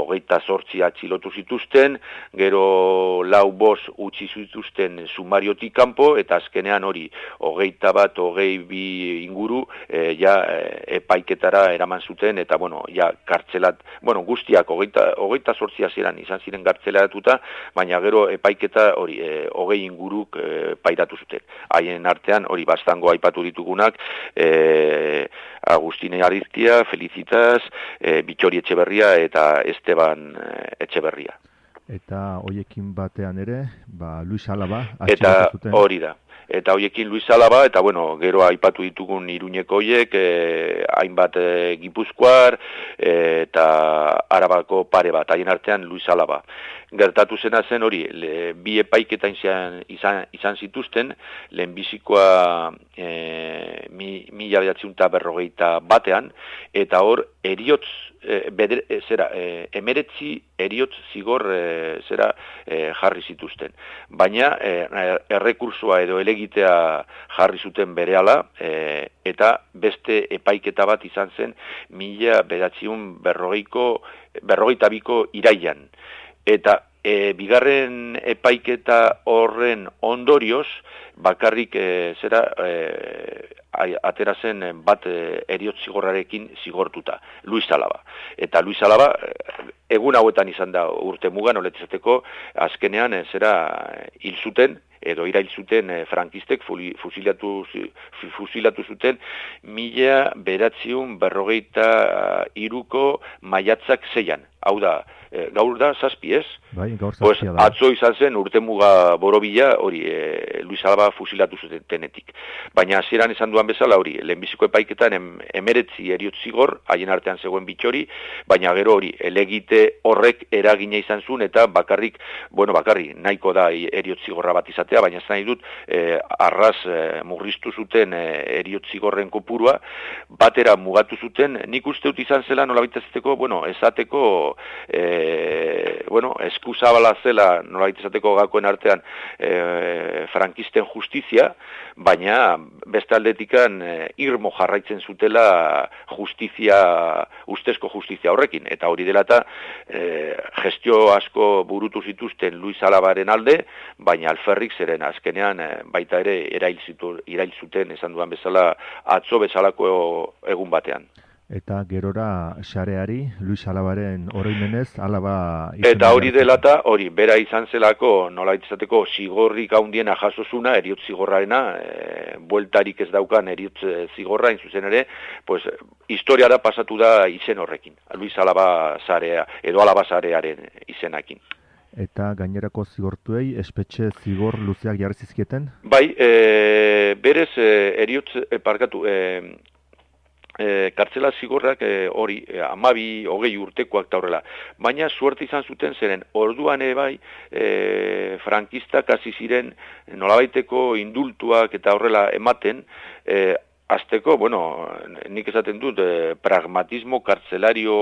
hogeita zortzi atxilotu zituzten, gero lau bos utzi zituzten sumariotik kanpo, eta azkenean hori hogeita bat, hogei bi inguru, e, ja e, epaiketara eraman zuten, eta bueno, ja kartzelat, bueno, guztiak hogeita, hogeita zortzi hasieran izan ziren kartzelaratuta, baina gero epaiketa hori e, hogei inguruk e, pairatu zuten. Haien artean hori bastango aipatu ditugunak, e, Agustine Ariztia, Felicitas, e, Bitxori Etxeberria eta Esteban Etxeberria. Eta hoiekin batean ere, ba, Luis Alaba. Eta hori da. Eta hoiekin Luis Alaba, eta bueno, gero aipatu ditugun Iruñeko hoiek, e, hainbat e, Gipuzkoar, e, eta Arabako pare bat, haien artean Luis Alaba. Gertatu zena zen hori, le, bi epaiketa izan, izan, izan zituzten, lehenbizikoa e, mi, mila behatziunta berrogeita batean, eta hor eriotz e, beder, e, zera, e, emeretzi eriotz zigor e, zera e, jarri zituzten. Baina e, errekursua edo elegitea jarri zuten berehala e, eta beste epaiketa bat izan zen mila bederatziehun berrogeiko berrogeita biko iraian. Eta E, bigarren epaiketa horren ondorioz, bakarrik e, zera e, atera zen bat e, eriotz zigorrarekin zigortuta, Luis Alaba. Eta Luis Alaba egun hauetan izan da urte mugan, oletzateko azkenean e, zera hil zuten, edo irail zuten e, frankistek fusilatu, fusilatu zuten mila bederatziehun berrogeita hiruko maiatzak zeian. Hau da, e, gaur da zazpi ez? Bai, gaur pues, zazpia da. Atzo izan zen urtemuga borobila hori e, Luis Alaba fusilatu zutenetik. Baina hasieran esan duan bezala hori, lehenbiziko epaiketan em, emeretzi eriotz zigor, haien artean zegoen bitxori, baina gero hori, elegite horrek eragina izan zuen eta bakarrik, bueno bakarrik, nahiko da eriotz zigorra bat izatea, baina ez nahi dut, e, arraz e, murriztu zuten e, eriotz zigorren kopurua, batera mugatu zuten, nik uste dut izan zela nola baitazteko, bueno, esateko E, bueno, eskuzabala zela nolabait esateko gakoen artean e, frankisten justizia, baina beste aldetikan e, irmo jarraitzen zutela justizia, ustezko justizia horrekin, eta hori dela eta e, gestio asko burutu zituzten Luis Alabaren alde, baina alferrik zeren azkenean e, baita ere erail, zitu, erail zuten esan duan bezala atzo bezalako egun batean. Eta gerora xareari, Luis Alabaren oroimenez, Alaba... Eta hori dela eta hori, bera izan zelako, nola izateko, zigorrik haundiena jasozuna, eriotz zigorrarena, e, bueltarik ez daukan eriotz zigorra, zuzen ere, pues, historiara pasatu da izen horrekin, Luis Alaba zarea, edo Alaba zarearen izenakin. Eta gainerako zigortuei, espetxe zigor luzeak jarri zizkieten? Bai, e, berez, e, eriotz, e, parkatu, e, E, kartzela zigorrak hori e, amabi, hogei urtekoak da horrela. Baina suerte izan zuten zeren, orduan ere bai, e, frankistak hasi ziren nolabaiteko indultuak eta horrela ematen, e, azteko, bueno, nik esaten dut, eh, pragmatismo kartzelario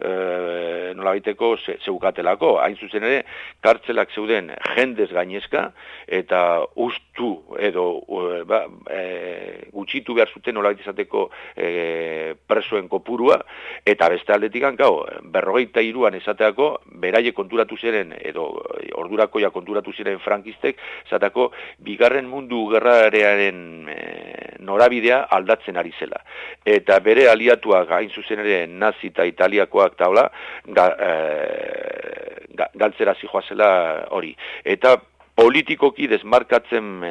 eh, nolabaiteko ze, zeukatelako. Hain zuzen ere, kartzelak zeuden jendez gainezka, eta ustu edo eh, ba, eh, gutxitu behar zuten nolabait izateko eh, presoen kopurua, eta beste aldetik gau, berrogeita hiruan esateako, beraie konturatu ziren, edo ordurakoia konturatu ziren frankistek, esateko, bigarren mundu gerrarearen eh, norabidea aldatzen ari zela. Eta bere aliatuak hain zuzen ere nazi eta italiakoak taula ga, e, ga, galtzera zijoazela hori. Eta politikoki desmarkatzen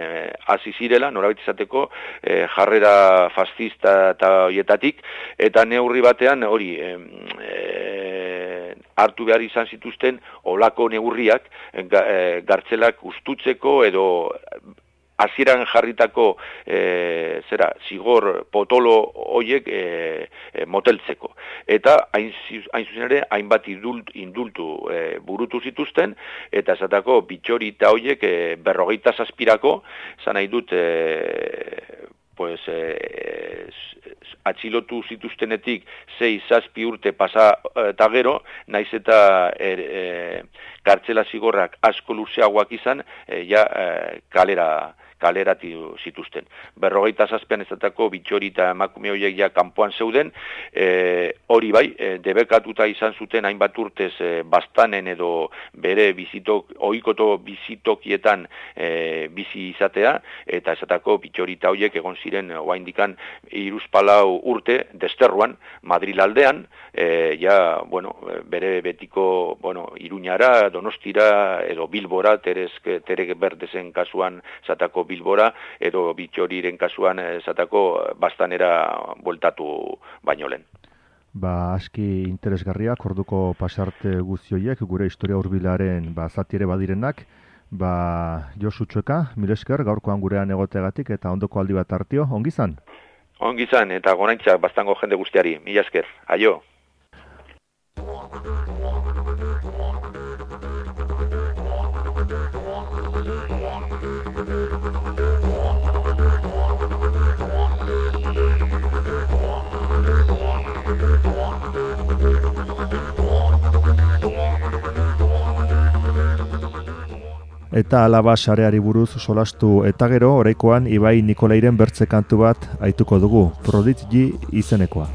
hasi e, zirela, norabait izateko, e, jarrera fascista eta hoietatik, eta neurri batean hori e, e, hartu behar izan zituzten olako neurriak e, gartzelak ustutzeko edo hasieran jarritako e, zera, zigor potolo hoiek e, e, moteltzeko. Eta hain, hain zuzen ere, hainbat indult, indultu e, burutu zituzten, eta esatako bitxori eta hoiek e, berrogeita zazpirako, zan nahi dut, e, pues, e, atxilotu zituztenetik sei zazpi urte pasa eta gero, naiz eta er, e, kartzela zigorrak asko luzeagoak izan, e, ja e, kalera kalerati zituzten. Berrogeita zazpian ezatako bitxori eta emakume horiek ja kanpoan zeuden, e, hori bai, e, debekatuta izan zuten hainbat urtez e, bastanen edo bere bizitok, ohikoto bizitokietan e, bizi izatea, eta ezatako bitxori eta horiek egon ziren oraindikan hiruzpalau urte desterruan, Madril aldean, e, ja, bueno, bere betiko, bueno, Iruñara, Donostira, edo Bilbora, Terek, Terek Berdezen kasuan zatako Bilbora, edo bitxoriren kasuan esatako bastanera bueltatu baino lehen. Ba, aski interesgarriak, orduko pasarte guztioiek, gure historia hurbilaren ba, zati ere badirenak, ba, Josu Txueka, mil esker, gaurkoan gurean egotegatik, eta ondoko aldi bat hartio, ongi zan? Ongi zan, eta gonaintzak bastango jende guztiari, mila esker, aio! We'll be right back. Eta alaba sareari buruz solastu eta gero, oraikoan Ibai Nikolairen bertze kantu bat aituko dugu, Prodigy izenekoa.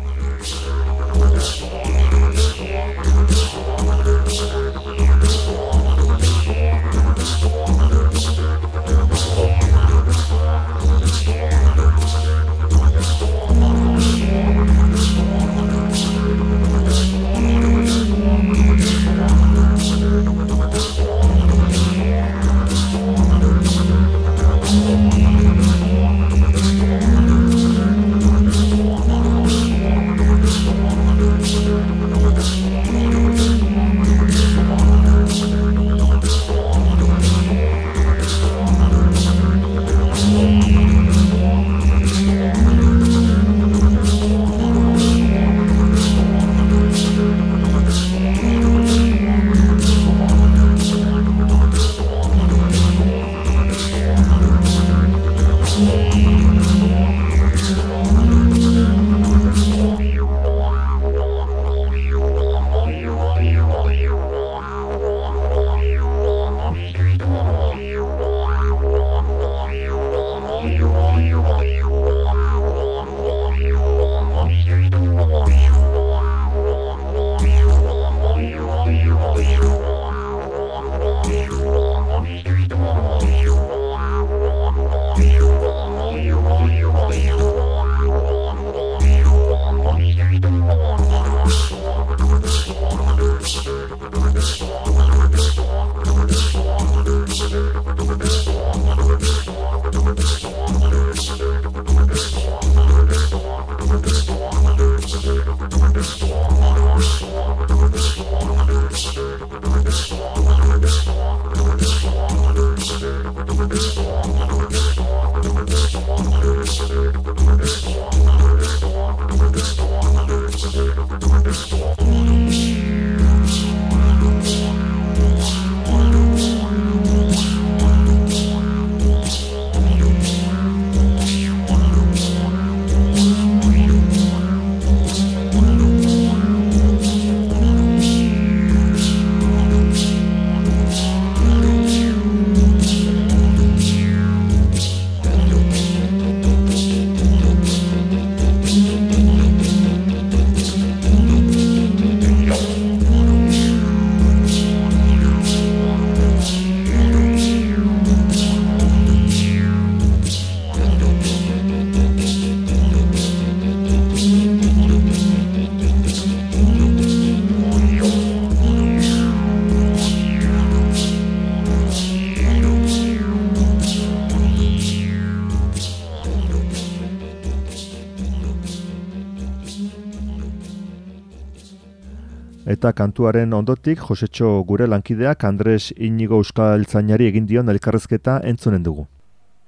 Eta kantuaren ondotik, Josetxo gure lankideak Andres Inigo Euskaltzainari egin dion elkarrezketa entzunen dugu.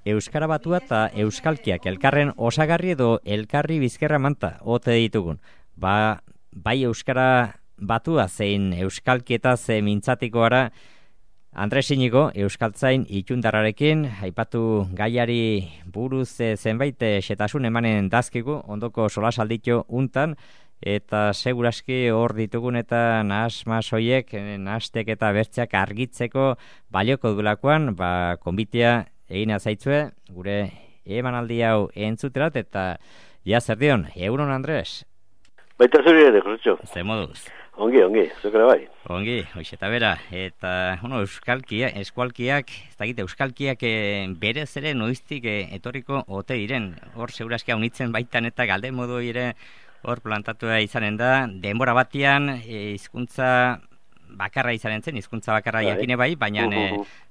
Euskara batua eta euskalkiak elkarren osagarri edo elkarri bizkerra manta ote ditugun. Ba, bai euskara batua zein euskalkieta ze mintzatiko gara Andres Inigo Euskaltzain itundarrarekin aipatu gaiari buruz zenbait xetasun emanen dazkigu ondoko solasalditu untan. Eta seguraski hor ditugun eta nahas-mas hoiek, nahastek eta bertzeak argitzeko balioko dulakoan, ba, konbitea egin azaitzue, gure emanaldi hau entzuterat, eta ja zer dion, egunon Andres? Baita zuri ere, Josetxo. Ze moduz? Ongi, ongi, zukera bai. Ongi, hoiz eta bera, eta, bueno, euskalkia, eskualkiak, ez dakite, euskalkiak e, berez ere noiztik e, etorriko ote diren, hor seguraski haunitzen baitan eta galde modu ere, hor plantatua izanen da, denbora batian hizkuntza bakarra izanen zen, hizkuntza bakarra jakine bai, baina e,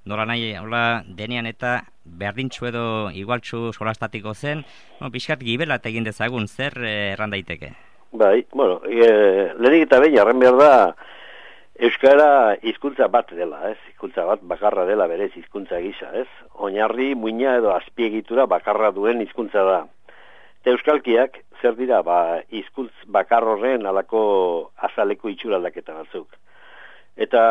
nola nahi, hola denean eta berdintxu edo igualtxu solastatiko zen, no, pixkat gibelat egin dezagun, zer eh, erran daiteke? Bai, bueno, e, lehenik eta behin, arren behar da, euskara hizkuntza bat dela, ez? Hizkuntza bat bakarra dela berez hizkuntza gisa, ez? Oinarri, muina edo azpiegitura bakarra duen hizkuntza da. Eta euskalkiak, zer dira, ba, hizkuntz bakar horren alako azaleko itxura aldaketa batzuk. Eta,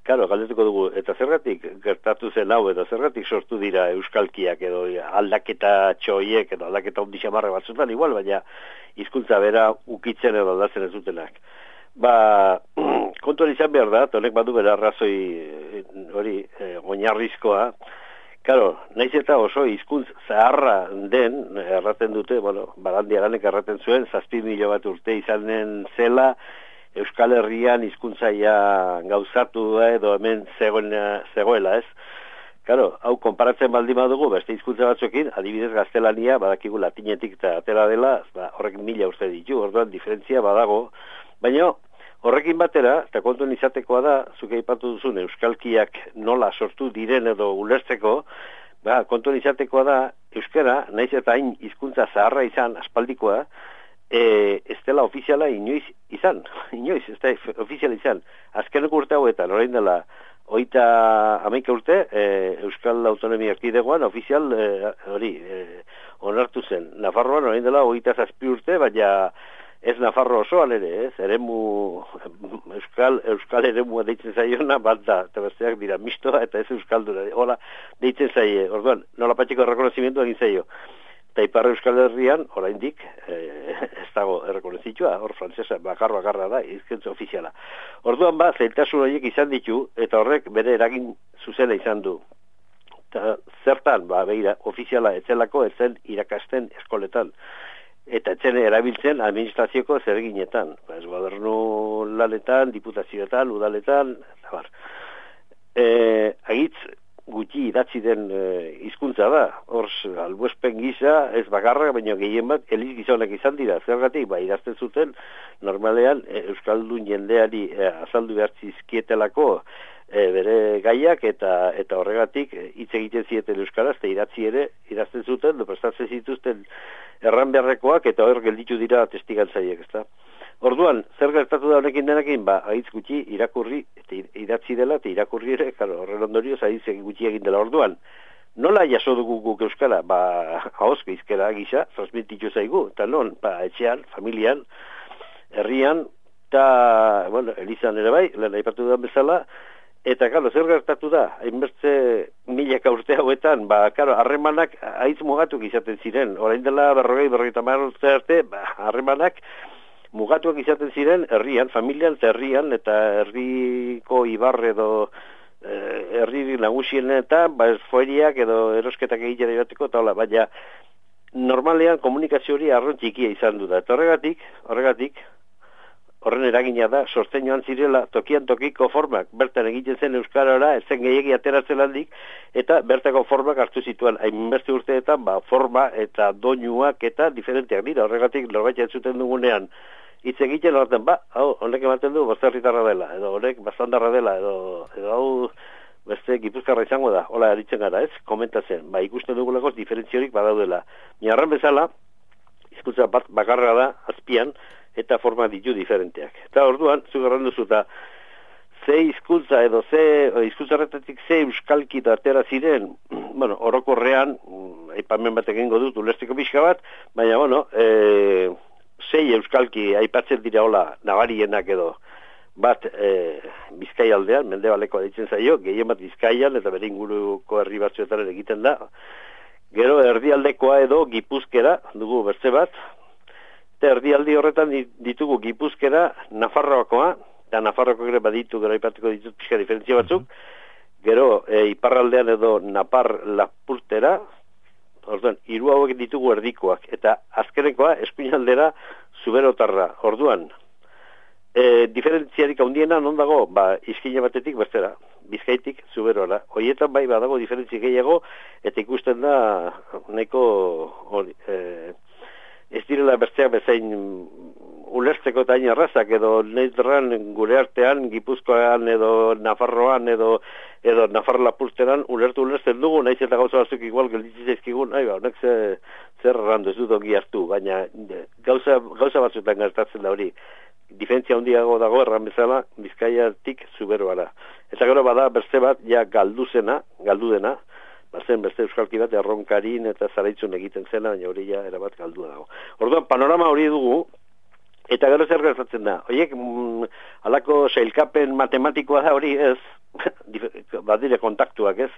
karo, galdetuko dugu, eta zergatik gertatu zen hau, eta zergatik sortu dira euskalkiak edo aldaketa txoiek edo aldaketa ondixamarra batzutan igual, baina hizkuntza bera ukitzen edo aldatzen ez dutenak. Ba, kontuan izan behar da, honek badu bera arrazoi hori, eh, oinarrizkoa. Karo, naiz eta oso hizkuntz zaharra den, erraten dute, bueno, Barandi Aranek erraten zuen, zazpi milo bat urte izanen zela, Euskal Herrian hizkuntzaia gauzatu edo hemen zegoena, zegoela, ez? Karo, hau konparatzen baldin badugu, beste hizkuntza batzuekin, adibidez gaztelania, badakigu latinetik eta atera dela, ba, horrek mila uste ditu, orduan diferentzia badago, baina horrekin batera, eta kontuen izatekoa da, zuke aipatu duzun euskalkiak nola sortu diren edo ulertzeko, ba, kontuen izatekoa da, euskara, naiz eta hain hizkuntza zaharra izan, aspaldikoa, e, ez dela ofiziala inoiz izan, inoiz, ez da ofiziala izan. Azkeneko urte hauetan, orain dela, hogeita hamaika urte, e, Euskal Autonomia Erkidegoan ofizial hori e, e, onartu zen. Nafarroan orain dela hogeita zazpi urte, baina ez Nafarro osoan ere, ez, eremu, Euskal, Euskal eremua deitzen zaiona, bat da, eta besteak dira mistoa, eta ez Euskaldura, hola, deitzen zaie, orduan, nola patxiko errekonozimendu egin zaio. Eta Ipar Euskal Herrian, oraindik, eh, ez dago errekonozitua, hor frantzesa bakar bakarra da, hizkuntza ofiziala. Orduan ba, zailtasun horiek izan ditu, eta horrek bere eragin zuzena izan du. Eta zertan, ba, begira, ofiziala etzelako, etzen irakasten eskoletan. Eta etzen erabiltzen administrazioko zerginetan. Ba, ez gobernu lanetan, diputazioetan, udaletan, eta bar. E, agitz, gutxi idatzi den hizkuntza da, hor albuespen gisa, ez bakarra, baina gehien bat, eliz gizonak izan dira, zergatik, ba, idazten zuten, normalean, e, Euskaldun jendeari e, azaldu behartzizkietelako e, bere gaiak, eta eta horregatik, hitz egiten zieten Euskaraz, eta idatzi ere, idazten zuten, do prestatzen zituzten erran beharrekoak, eta hor gelditu dira testigantzaiek, ezta? Orduan, zer gertatu da honekin denekin, ba, haitz gutxi irakurri, eta idatzi dela, eta irakurri ere, karo, horren ondorioz, haitz gutxi egin dela. Orduan, nola jaso dugu guk Euskara? Ba, ahozko izkera gisa, transmititu zaigu, eta non, ba, etxean, familian, herrian, eta, bueno, elizan ere bai, lehen aipatu da bezala, eta, karo, zer gertatu da, hainbertze milaka urte hauetan, ba, karo, harremanak haitz mugatuk izaten ziren, orain dela berrogei, berrogeita hamar urte arte, ba, harremanak, mugatuak izaten ziren herrian, familian eta herrian, eta herriko ibarre edo eh, herri nagusienetan, ba, esfoeriak edo erosketak egitera ibateko, eta hola, baina normalean komunikazio hori arron txikia izan du da. Eta horregatik, horregatik, horren eragina da, sortzen joan zirela, tokian tokiko formak, bertan egiten zen Euskarara, ez zen gehiagi ateratzen handik, eta bertako formak hartu zituen, hainbeste urteetan, ba, forma eta doinuak eta diferenteak dira, horregatik norbait entzuten dugunean, hitz egiten horretan, ba, hau, honek ematen du, basterritarra dela, edo honek bastandarra dela, edo, edo hau, beste gipuzkarra izango da, hola eritzen gara, ez, komentatzen, ba, ikusten dugulako diferentziorik badaudela. Miarran bezala, hizkuntza bat bakarra da, azpian, eta forma ditu diferenteak. Eta orduan, zugarran duzu, eta ze hizkuntza edo ze hizkuntzarretatik ze euskalki atera ziren, bueno, orokorrean, aipamen bat egingo dut, ulesteko pixka bat, baina, bueno, e, sei euskalki aipatzen dira hola nabarienak edo, bat e, Bizkai aldean, Mendebaleko deitzen zaio, gehien bat Bizkaian, eta bere inguruko herri batzuetan egiten da. Gero erdialdekoa edo Gipuzkera, dugu bertze bat, erdialdi horretan ditugu Gipuzkera, Nafarroakoa, eta Nafarroako ere baditu, gero aipatuko ditut pixka diferentzia batzuk, gero e, iparraldean edo Napar Lapurtera, orduan, hiru hauek ditugu erdikoak, eta azkenekoa, eskuinaldera, Zuberotarra, orduan, e, diferentziarik handiena non dago, ba, izkina batetik bestera, Bizkaitik Zuberora, horietan bai badago diferentzi gehiago, eta ikusten da, nahiko, hori, e, ez direla bertzeak bezain ulertzeko eta hain arrazak, edo neitran gure artean, Gipuzkoan edo Nafarroan edo edo Nafar Lapurteran ulertu ulertzen dugu, naiz eta gauza batzuk igual gelditzen zaizkigun, nahi ba, honek ze, zer errandu ez dut ongi hartu, baina gauza, gauza batzuetan gertatzen da hori, diferentzia handiago dago erran bezala Bizkaiatik Zuberoara. Eta gero bada berze bat, ja galduzena, galdudena, bazen beste euskalki bat erronkarin eta zaraitzun egiten zena, baina hori ja erabat galdua dago. Orduan, panorama hori dugu, eta gero zer gertatzen da. Horiek, mm, alako sailkapen matematikoa da hori ez, badire kontaktuak ez,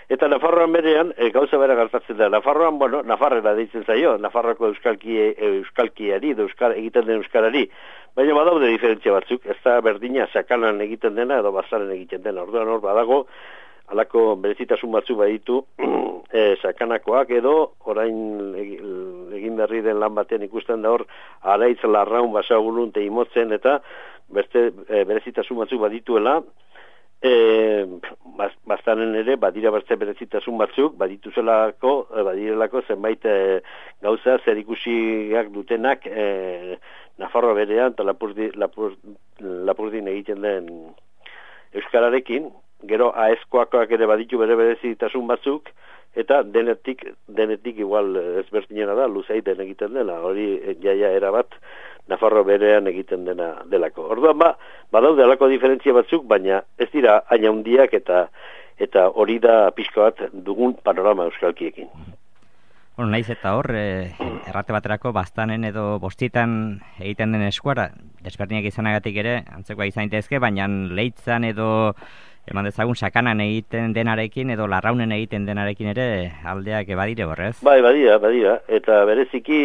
Eta Nafarroan berean, e, gauza bera gertatzen da. Nafarroan, bueno, Nafarrera deitzen zaio, Nafarroako euskalki, euskalkiari, euskal, egiten den euskarari. Baina badaude diferentzia batzuk, ez da berdina sakanan egiten dena edo bazaren egiten dena. Orduan hor badago, halako berezitasun batzu baditu e, sakanakoak edo orain egin berri den lan batean ikusten da hor araitz larraun basagulun teimotzen eta beste e, berezitasun batzu badituela e, bastanen ere badira beste berezitasun batzuk badituzelako e, badirelako zenbait e, gauza zer ikusiak dutenak e, Nafarroa berean eta Lapurdi, Lapur, Lapurdin egiten den euskararekin. Gero aezkoakoak ere baditu bere berezitasun batzuk, eta denetik, denetik igual ezberdinena da, luzeiten egiten dela, hori jaia erabat Nafarro berean egiten dena delako. Orduan ba, badaude alako diferentzia batzuk, baina ez dira haina hundiak eta eta hori da pixka bat dugun panorama euskalkiekin. Bueno, naiz eta hor, e, errate baterako bastanen edo bostitan egiten den eskuara, desberdinak izanagatik ere, antzekoa izan daitezke, baina leitzan edo eman dezagun sakanan egiten denarekin edo larraunen egiten denarekin ere aldeak badire borrez? Bai, badira, badira. Eta bereziki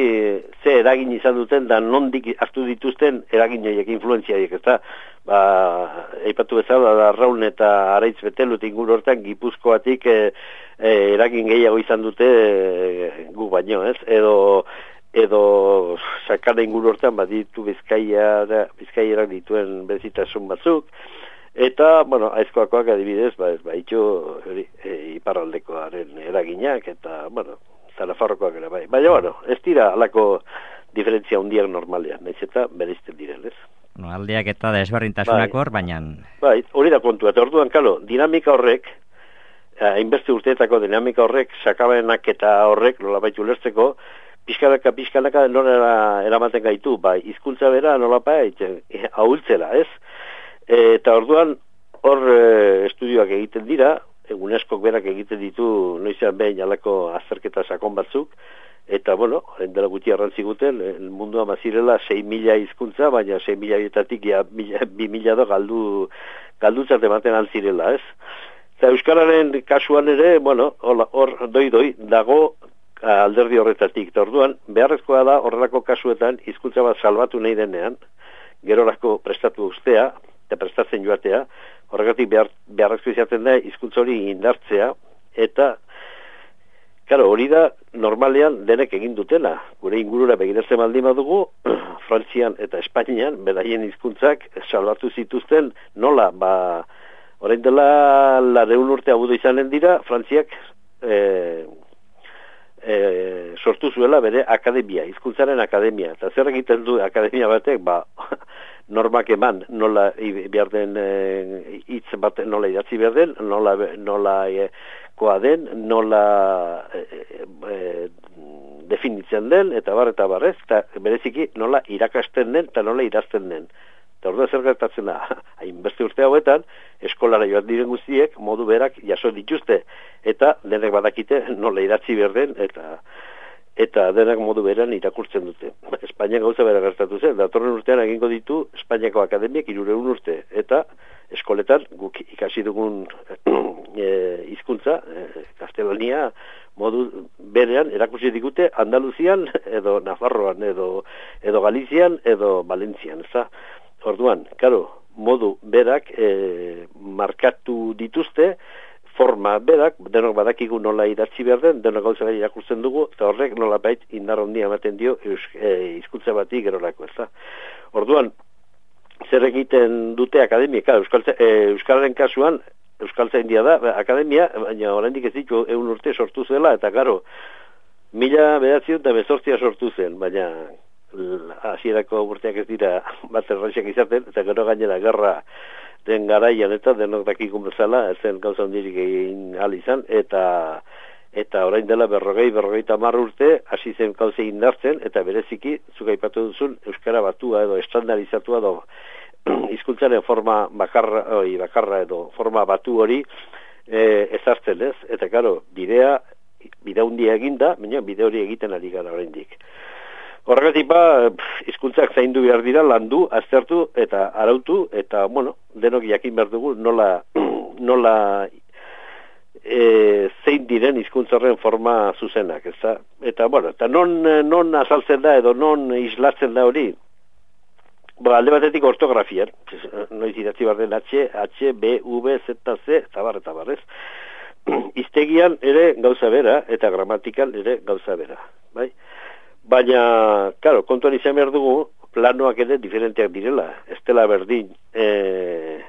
ze eragin izan duten da nondik hartu dituzten eragin horiek, influentzia horiek, ezta? Ba, eipatu bezala larraun eta araitz betelut inguru hortan Gipuzkoatik e, e, eragin gehiago izan dute e, gu baino, ez? Edo edo sakana inguru hortan baditu Bizkaia Bizkaiarak dituen berezitasun batzuk. Eta, bueno, aizkoakoak adibidez, ba, ez ba, itxo e, iparraldekoaren eraginak, eta, bueno, Nafarrokoak ere, bai. Baina, bueno, ez dira alako diferentzia hundiak normalean, nahiz eta bereizten diren, ez? No, aldeak eta desberdintasunak hor, baina... Bai, hori da kontua, eta orduan, kalo, dinamika horrek, hainbeste urteetako dinamika horrek, sakabenak eta horrek, nolabait ulertzeko, pixkanaka, pixkanaka nola eramaten gaitu, bai, hizkuntza bera nolabait ahultzera, ez? Eta orduan hor e, estudioak egiten dira, UNESCOk berak egiten ditu noizean behin alako azterketa sakon batzuk, eta bueno, dela guti arrantziguten, mundua mazirela sei mila hizkuntza, baina sei mila etatik ja bi mila do galdu, galdutzat ematen altzirela, ez? Eta euskararen kasuan ere, bueno, hor doi-doi dago alderdi horretatik, eta orduan beharrezkoa da horrelako kasuetan hizkuntza bat salbatu nahi denean, gerorako prestatu ustea, eta prestatzen joatea, horregatik behar, beharrezko izaten da hizkuntza hori indartzea, eta claro, hori da normalean denek egin dutela. Gure ingurura begiratzen baldin badugu, Frantzian eta Espainian beraien hizkuntzak salbatu zituzten nola, ba, orain dela laurehun urte abudu izanen dira, Frantziak e, e, sortu zuela bere akademia, hizkuntzaren akademia. Eta zer egiten du akademia batek, ba, normak eman nola behar den hitz e, bat nola idatzi behar den, nola, nola e, koa den, nola e, e, definitzen den, eta bar, eta barrez, eta bereziki nola irakasten den, eta nola idazten den. Eta orduan zer gertatzen da, hainbeste urte hauetan, eskolara joan diren guztiek, modu berak jaso dituzte, eta denek badakite nola idatzi behar den, eta eta denak modu beran irakurtzen dute. Espainiak gauza bera gertatu zen, datorren urtean egingo ditu Espainiako akademiak hirurehun urte, eta eskoletan guk ikasi dugun hizkuntza, e, e, Kastelania, modu berean erakusi digute Andaluzian, edo Nafarroan, edo, edo Galizian, edo Valentzian, ez da? Orduan, karo, modu berak e, markatu dituzte, forma berak, denok badakigu nola idatzi behar den, denok gauza behar irakurtzen dugu, eta horrek nola bait indar handia ematen dio hizkuntza e, bati gerorako, ez da. Orduan, zer egiten dute akademia, Euskaltza, e, Euskalaren kasuan, Euskaltzaindia da, akademia, baina oraindik ez ditu ehun urte sortu zela, eta garo, mila bederatziehun eta hemezortzi sortu zen, baina hasierako urteak ez dira bat erraisak izaten, eta gero gainera gerra den garaian eta denok dakikun bezala, ez zen gauza hondirik egin ahal izan, eta eta orain dela berrogei, berrogeita hamar urte, hasi zen gauza indartzen, eta bereziki, zuk aipatu duzun, euskara batua edo estandarizatua edo hizkuntzaren forma bakarra, oi, bakarra edo forma batu hori e, ezartzen, ez? Eta karo, bidea, bidea hundia eginda, baina bide hori egiten ari gara oraindik. Horregatik ba, hizkuntzak zaindu behar dira, landu, aztertu eta arautu, eta, bueno, denok jakin behar dugu nola, nola e, zein diren hizkuntza horren forma zuzenak, ezta? Eta, bueno, eta non, non azaltzen da edo non islatzen da hori? Ba, alde batetik ortografian, noiz idatzi behar den H, H, B, V, Z, C, eta bar, eta bar, ez? Hiztegian ere gauza bera, eta gramatikal ere gauza bera, bai? Baina, claro, kontuan izan behar dugu, planoak ere diferenteak direla, ez dela berdin, e,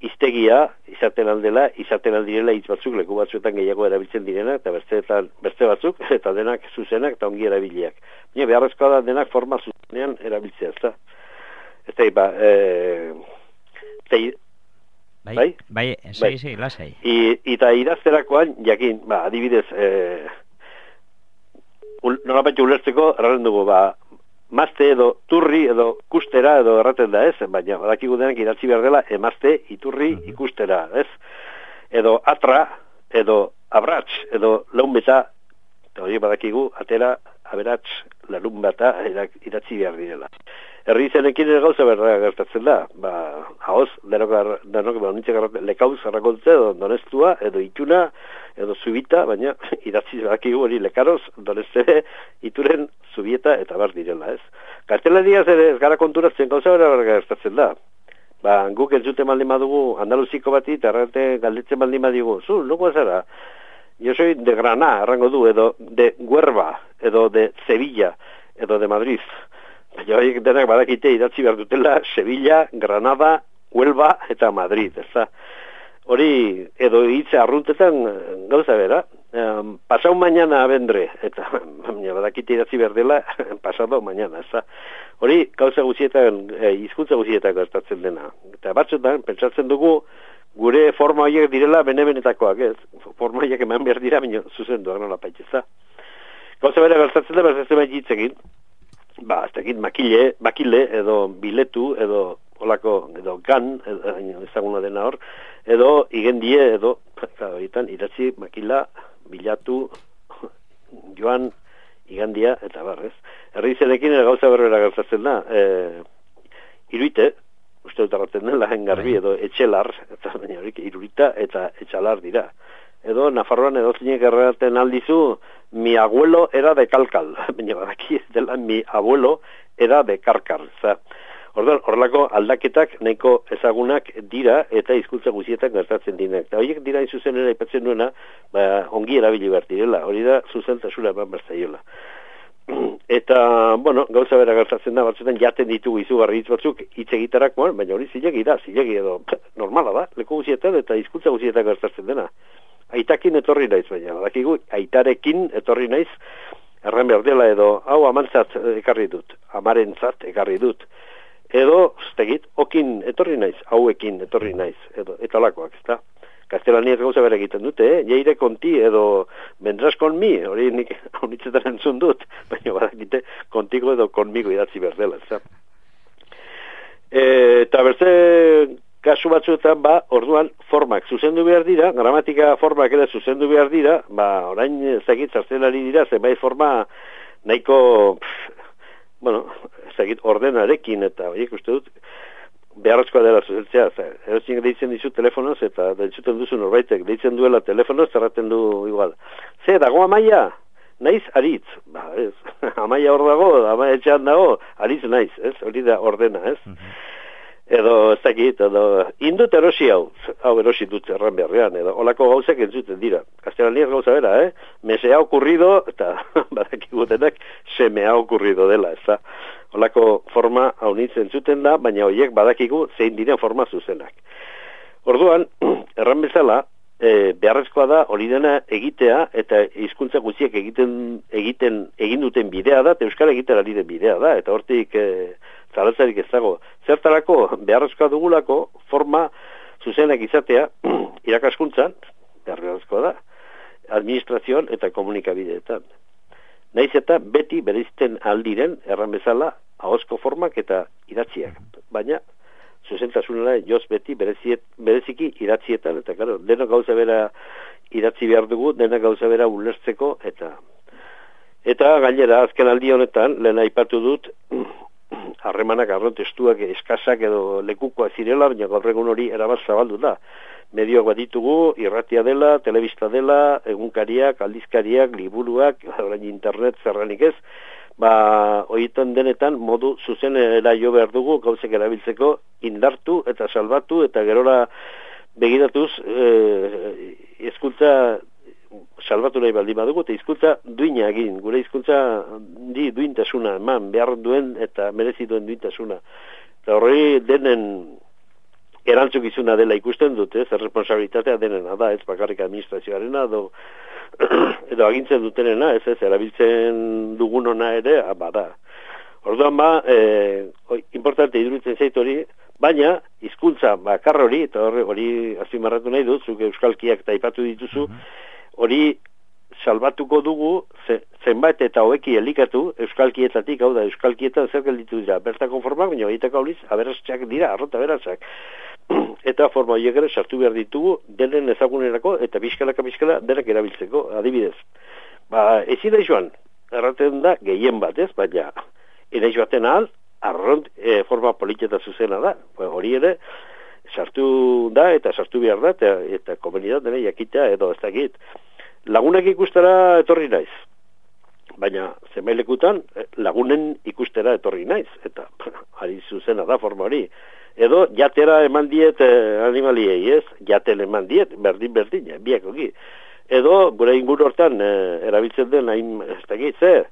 hiztegia izaten aldela, izaten aldirela hitz batzuk, leku batzuetan gehiago erabiltzen direnak, eta besteetan, beste batzuk, eta denak zuzenak eta ongi erabiliak. Baina beharrezkoa da denak forma zuzenean erabiltzea, ez da? Ez da, ba, e, tei, bai, bai, bai, esai, esai, lasai. Eta idazterakoan, jakin, ba, adibidez, e, nolapait ulertzeko, erraren dugu, ba, mazte edo turri edo kustera edo erraten da, ez? Baina, badakigu denak idatzi behar dela, emazte, iturri, ikustera, ez? Edo atra, edo abrats, edo launbeta, eta hori badakigu, atera, aberats, larun bata idatzi behar direla. Herri izenekin ere gauza berra gertatzen da, ba, haoz, denok, denok, ba, nintzen garratzen, lekauz garrakontze, edo donestua, edo ituna, edo zubita, baina idatzi badakigu hori lekaroz, doneste, ituren, zubieta, eta bar direla, ez? Gaztelaniaz ere ez gara konturatzen gauza berra gertatzen da. Ba, guk entzuten baldin badugu andaluziko bati, eta errate galdetzen baldin badugu, zu, nuko zara? Jo soy de Granada, errango du, edo de Huerva, edo de Sevilla, edo de Madrid. Baina horiek denak badakite idatzi behar dutela Sevilla, Granada, Huelva eta Madrid, ez da? Hori, edo hitze arruntetan gauza bera, um, pasau mañana vendré, eta baina badakite idatzi behar dela pasado mañana, ez da? Hori, gauza guzietan, eh, hizkuntza guzietan gertatzen dena. Eta batzutan, pentsatzen dugu, gure forma horiek direla bene-benetakoak, ez? Forma horiek eman behar dira, baina zuzenduak nola paitza. Gauza bera gertatzen da, berzatzen behar hitzekin, ba, ez dakit, makile, makile, edo biletu, edo olako, edo gan, edo, ezaguna dena hor, edo igendie, edo, horietan, idatzi, makila, bilatu, joan, igandia, eta barrez. Herri izenekin gauza berbera gertatzen da, e, iruite, uste dut arraten dela, engarbi, edo etxelar, eta baina horik, irurita eta etxalar dira. Edo, Nafarroan edo zinek erraten aldizu, mi abuelo era de Kalkal, baina badaki ez dela, mi abuelo era de Karkar. Orduan, horrelako aldaketak nahiko ezagunak dira eta hizkuntza guzietan gertatzen dinak. Eta horiek dira inzuzen ere aipatzen duena, ba, ongi erabili behar direla, hori da zuzentasuna eman berzaiola. Eta, bueno, gauza bera gertatzen da, batzuetan jaten ditugu izugarri hitz batzuk hitz egitarakoan, baina hori zilegi da, zilegi edo normala da, leku guzietan eta hizkuntza guzietan gertatzen dena. Aitakin etorri naiz, baina, badakigu, aitarekin etorri naiz, erran behar dela edo, hau amantzat ekarri dut, amarentzat ekarri dut, edo, zegit, okin etorri naiz, hauekin etorri naiz, edo, etalakoak, ez da? Gaztelaniaz gauza bera egiten dute, eh? Jeire konti edo vendrás conmi, hori nik honitzetan entzun dut, baina badakite kontigo edo konmigo idatzi behar dela, ez da? E, eta berze kasu batzuetan, ba, orduan formak zuzendu behar dira, gramatika formak ere zuzendu behar dira, ba, orain ezagit zartzen ari dira, zenbait forma nahiko, pff, bueno, ezagit ordenarekin, eta horiek uste dut, beharrezkoa dela zuzentzea, erotzin deitzen dizu telefonoz, eta dentzuten duzu norbaitek, deitzen duela telefonoz, zerraten du igual. Ze, dago amaia? Naiz aritz. Ba, ez, amaia hor dago, amaia etxean dago, aritz naiz, ez? Hori da ordena, ez? Mm-hmm. Edo, ez dakit, edo, indut erosi hau, hau erosi dut erran beharrean, edo, olako gauzak entzuten dira. Kastelaniaz gauza bera, eh? Me se ha ocurrido, eta badakigutenak, se me ha ocurrido dela, ez da? Olako forma hau nintzen zuten da, baina horiek badakigu zein diren forma zuzenak. Orduan, erran bezala, e, beharrezkoa da hori dena egitea, eta hizkuntza guztiek egiten, egiten, egin duten bidea da, eta euskara egiten ari den bidea da, eta hortik e, zalatzarik ez dago. Zertarako, beharrezkoa dugulako forma zuzenak izatea, irakaskuntzan, beharrezkoa da, administrazioan eta komunikabideetan. Naiz eta beti bereizten aldiren, erran bezala, ahozko formak eta idatziak. Baina, zuzentasunera joz beti bereziet, bereziki idatzietan, eta claro, denok gauza bera idatzi behar dugu, denok gauza bera ulertzeko, eta eta gainera, azken aldi honetan, lehen aipatu dut, harremanak arron testuak eskasak edo lekukoak zirela, baina gaur egun hori erabat zabaldu da. medioak bat ditugu, irratia dela, telebista dela, egunkariak, aldizkariak, liburuak, orain internet, zerranik ez, ba, horietan denetan modu zuzenera jo behar dugu gauzek erabiltzeko indartu eta salbatu eta gerora begiratuz e, hizkuntza salbatu nahi baldin badugu eta hizkuntza duina egin, gure hizkuntza di duintasuna eman behar duen eta merezi duen duintasuna. Eta horri denen erantzukizuna dela ikusten dut, ez, responsabilitatea denena da, ez bakarrik administrazioarena edo, edo agintzen dutenena, ez ez, erabiltzen dugunona ere, bada. Orduan ba, e, importante iruditzen zait hori, baina hizkuntza bakar hori, eta hori, hori azpimarratu nahi dut, zuk euskalkiak eta aipatu dituzu, hori salbatuko dugu ze, zenbait eta hoeki elikatu euskalkietatik, hau da, euskalkietan zer gelditu dira, bertako formak, baina horietako horiz, aberatsak dira, arrota aberatsak. Eta forma horiek ere sartu behar ditugu denen ezagunerako eta bizkalaka bizkala denak erabiltzeko, adibidez. Ba, ezin da joan, erraten da gehien bat, ez, baina enaiz baten ahal, arront e, forma politeta zuzena da. Ba, hori ere, sartu da eta sartu behar da, eta, eta komunidad dene jakitea edo ez dakit. Lagunak ikustera etorri naiz. Baina, zenbailekutan, lagunen ikustera etorri naiz. Eta, ari zuzena da forma hori. Edo, jatera eman diet eh, animaliei, ez? Jaten eman diet, berdin-berdin, biakoki. Edo, gure inguru hortan, eh, erabiltzen den, hain, ez dakit, zer?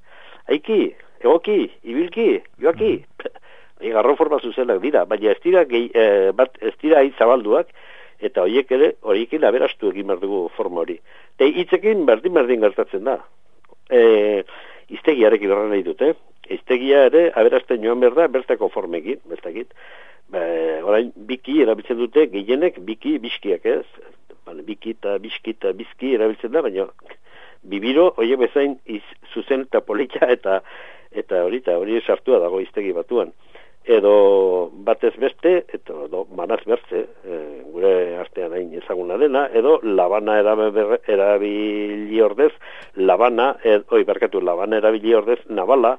Aiki, egoki, ibilki, joaki. Garro forma zuzenak dira, baina ez dira, gehi, eh, bat, ez dira hain zabalduak, eta horiek ere, horiekin aberastu egin behar dugu forma hori. Eta hitzekin berdin-berdin gertatzen da. E, iztegiarekin horren nahi dute. Iztegia ere, aberasten joan behar da, bertako formekin, bertakit. Ba, orain, biki erabiltzen dute, gehienek biki biskiak, ez? Bale, biki eta biski eta bizki erabiltzen da, baina bibiro, horiek bezain iz, zuzen eta polita eta eta hori eta hori sartua dago iztegi batuan. Edo batez beste, eta edo manaz bertze, e, gure artean hain ezaguna dena, edo labana erabili ordez, labana, ed, oi, barkatu, labana erabili ordez, nabala,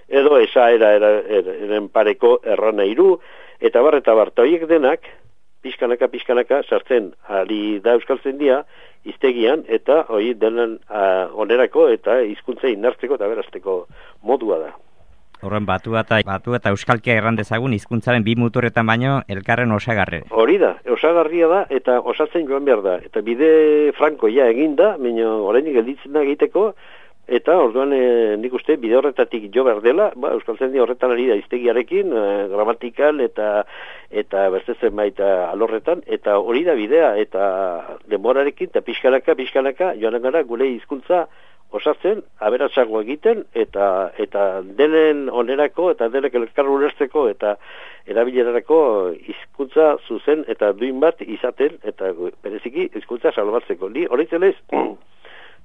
edo esa era eren pareko errana iru, eta bar, eta bar, horiek denak, pixkanaka, pixkanaka, sartzen ari da euskaltzen dia, iztegian, eta hori denen uh, onerako, eta hizkuntza indartzeko eta berazteko modua da. Horren batu eta, batu eta euskalkia erran dezagun hizkuntzaren bi muturretan baino elkarren osagarre. Hori da, osagarria da eta osatzen joan behar da. Eta bide franko ja egin da, baina orainik gelditzen da egiteko, eta orduan e, nik uste bide horretatik jo behar dela, ba, euskaltzaindia horretan ari da iztegiarekin, e, gramatikal eta eta berzezen baita alorretan, eta hori da bidea, eta denborarekin, eta pixkanaka, pixkanaka, joan gara gure hizkuntza osatzen, aberatsago egiten, eta eta denen onerako, eta denek elkar ulertzeko, eta erabilerarako hizkuntza zuzen eta duin bat izaten, eta bereziki hizkuntza salbatzeko. Ni horitzen ez,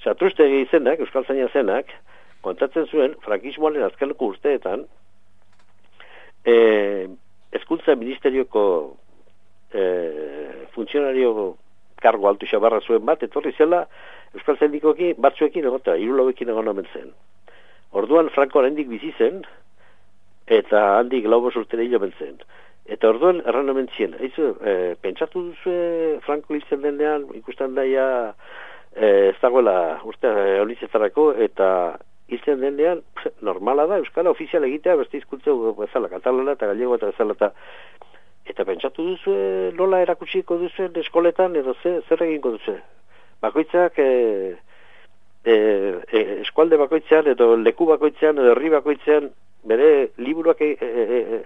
Satrustegi izenak, euskaltzaina zenak, kontatzen zuen, frankismoaren azkeneko urteetan, e, hezkuntza ministerioko e, funtzionario kargo altu xabarra zuen bat, etorri zela, euskaltzaindikoki batzuekin egota, irulauekin egon omen zen. Orduan Franko handik bizi zen, eta handik laubos urtera hilo zen. Eta orduan erran omen zien, eizu, e, pentsatu duzu Franko hiltzen denean, ikusten daia, E, ez dagoela uste honizetarako eta hiltzen denean normala da euskara ofizial egitea beste hizkuntza bezala, katalana eta gallego eta bezala eta, eta pentsatu duzu nola erakutsiko duzuen eskoletan edo ze, zer egingo duzu bakoitzak e, e, e, eskualde bakoitzean edo leku bakoitzean edo herri bakoitzean bere liburuak e, e, e,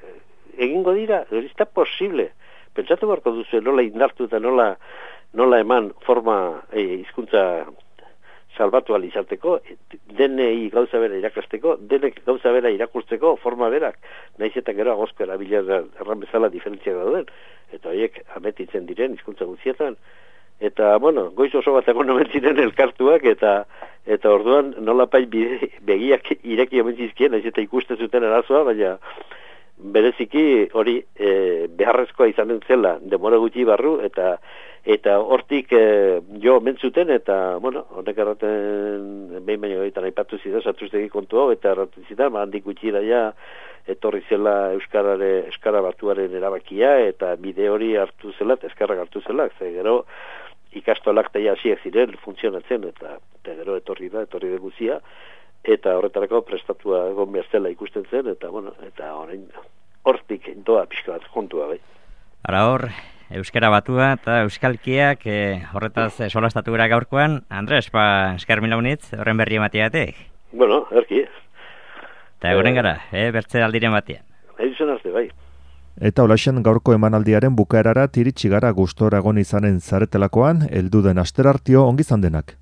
egingo dira, hori ez da posible pentsatu barko duzu nola indartu eta nola nola eman forma hizkuntza e, salbatu alizateko, denei gauza bera irakasteko, denek gauza bera irakurtzeko forma berak, nahiz eta gero agozko erabilera erran bezala diferentzia dauden, eta horiek ametitzen diren hizkuntza guztietan, eta, bueno, goiz oso bat egon omen ziren elkartuak, eta eta orduan nola pai begiak ireki omen zizkien, nahiz eta ikusten zuten arazoa, baina bereziki hori e, beharrezkoa izanen zela demora gutxi barru, eta Eta hortik e, jo mentzuten, eta, bueno, honek erraten behin baino egiten aipatu zida, satuztegi kontu hau, eta erraten zida, ma handik gutxira ja, etorri zela Euskarare, Euskara Batuaren erabakia, eta bide hori hartu zela, eta eskarrak hartu zela, ze gero ikastolak eta hasiak ziren funtzionatzen, eta, eta gero etorri da, etorri da guzia, eta horretarako prestatua egon behar zela ikusten zen, eta, bueno, eta horrein, hortik doa pixka bat kontua, bai. Ara hor, Euskara Batua eta Euskalkiak e, horretaz e, solastatu gara gaurkoan. Andres, ba, eskar mila unitz, horren berri ematiatek. Bueno, erki. Eta egunen gara, e, bertze aldiren batean. Edizien arte, bai. Eta olaxen gaurko emanaldiaren bukaerara tiritsi gara gustora egon izanen zaretelakoan, heldu den asterartio ongi izan denak.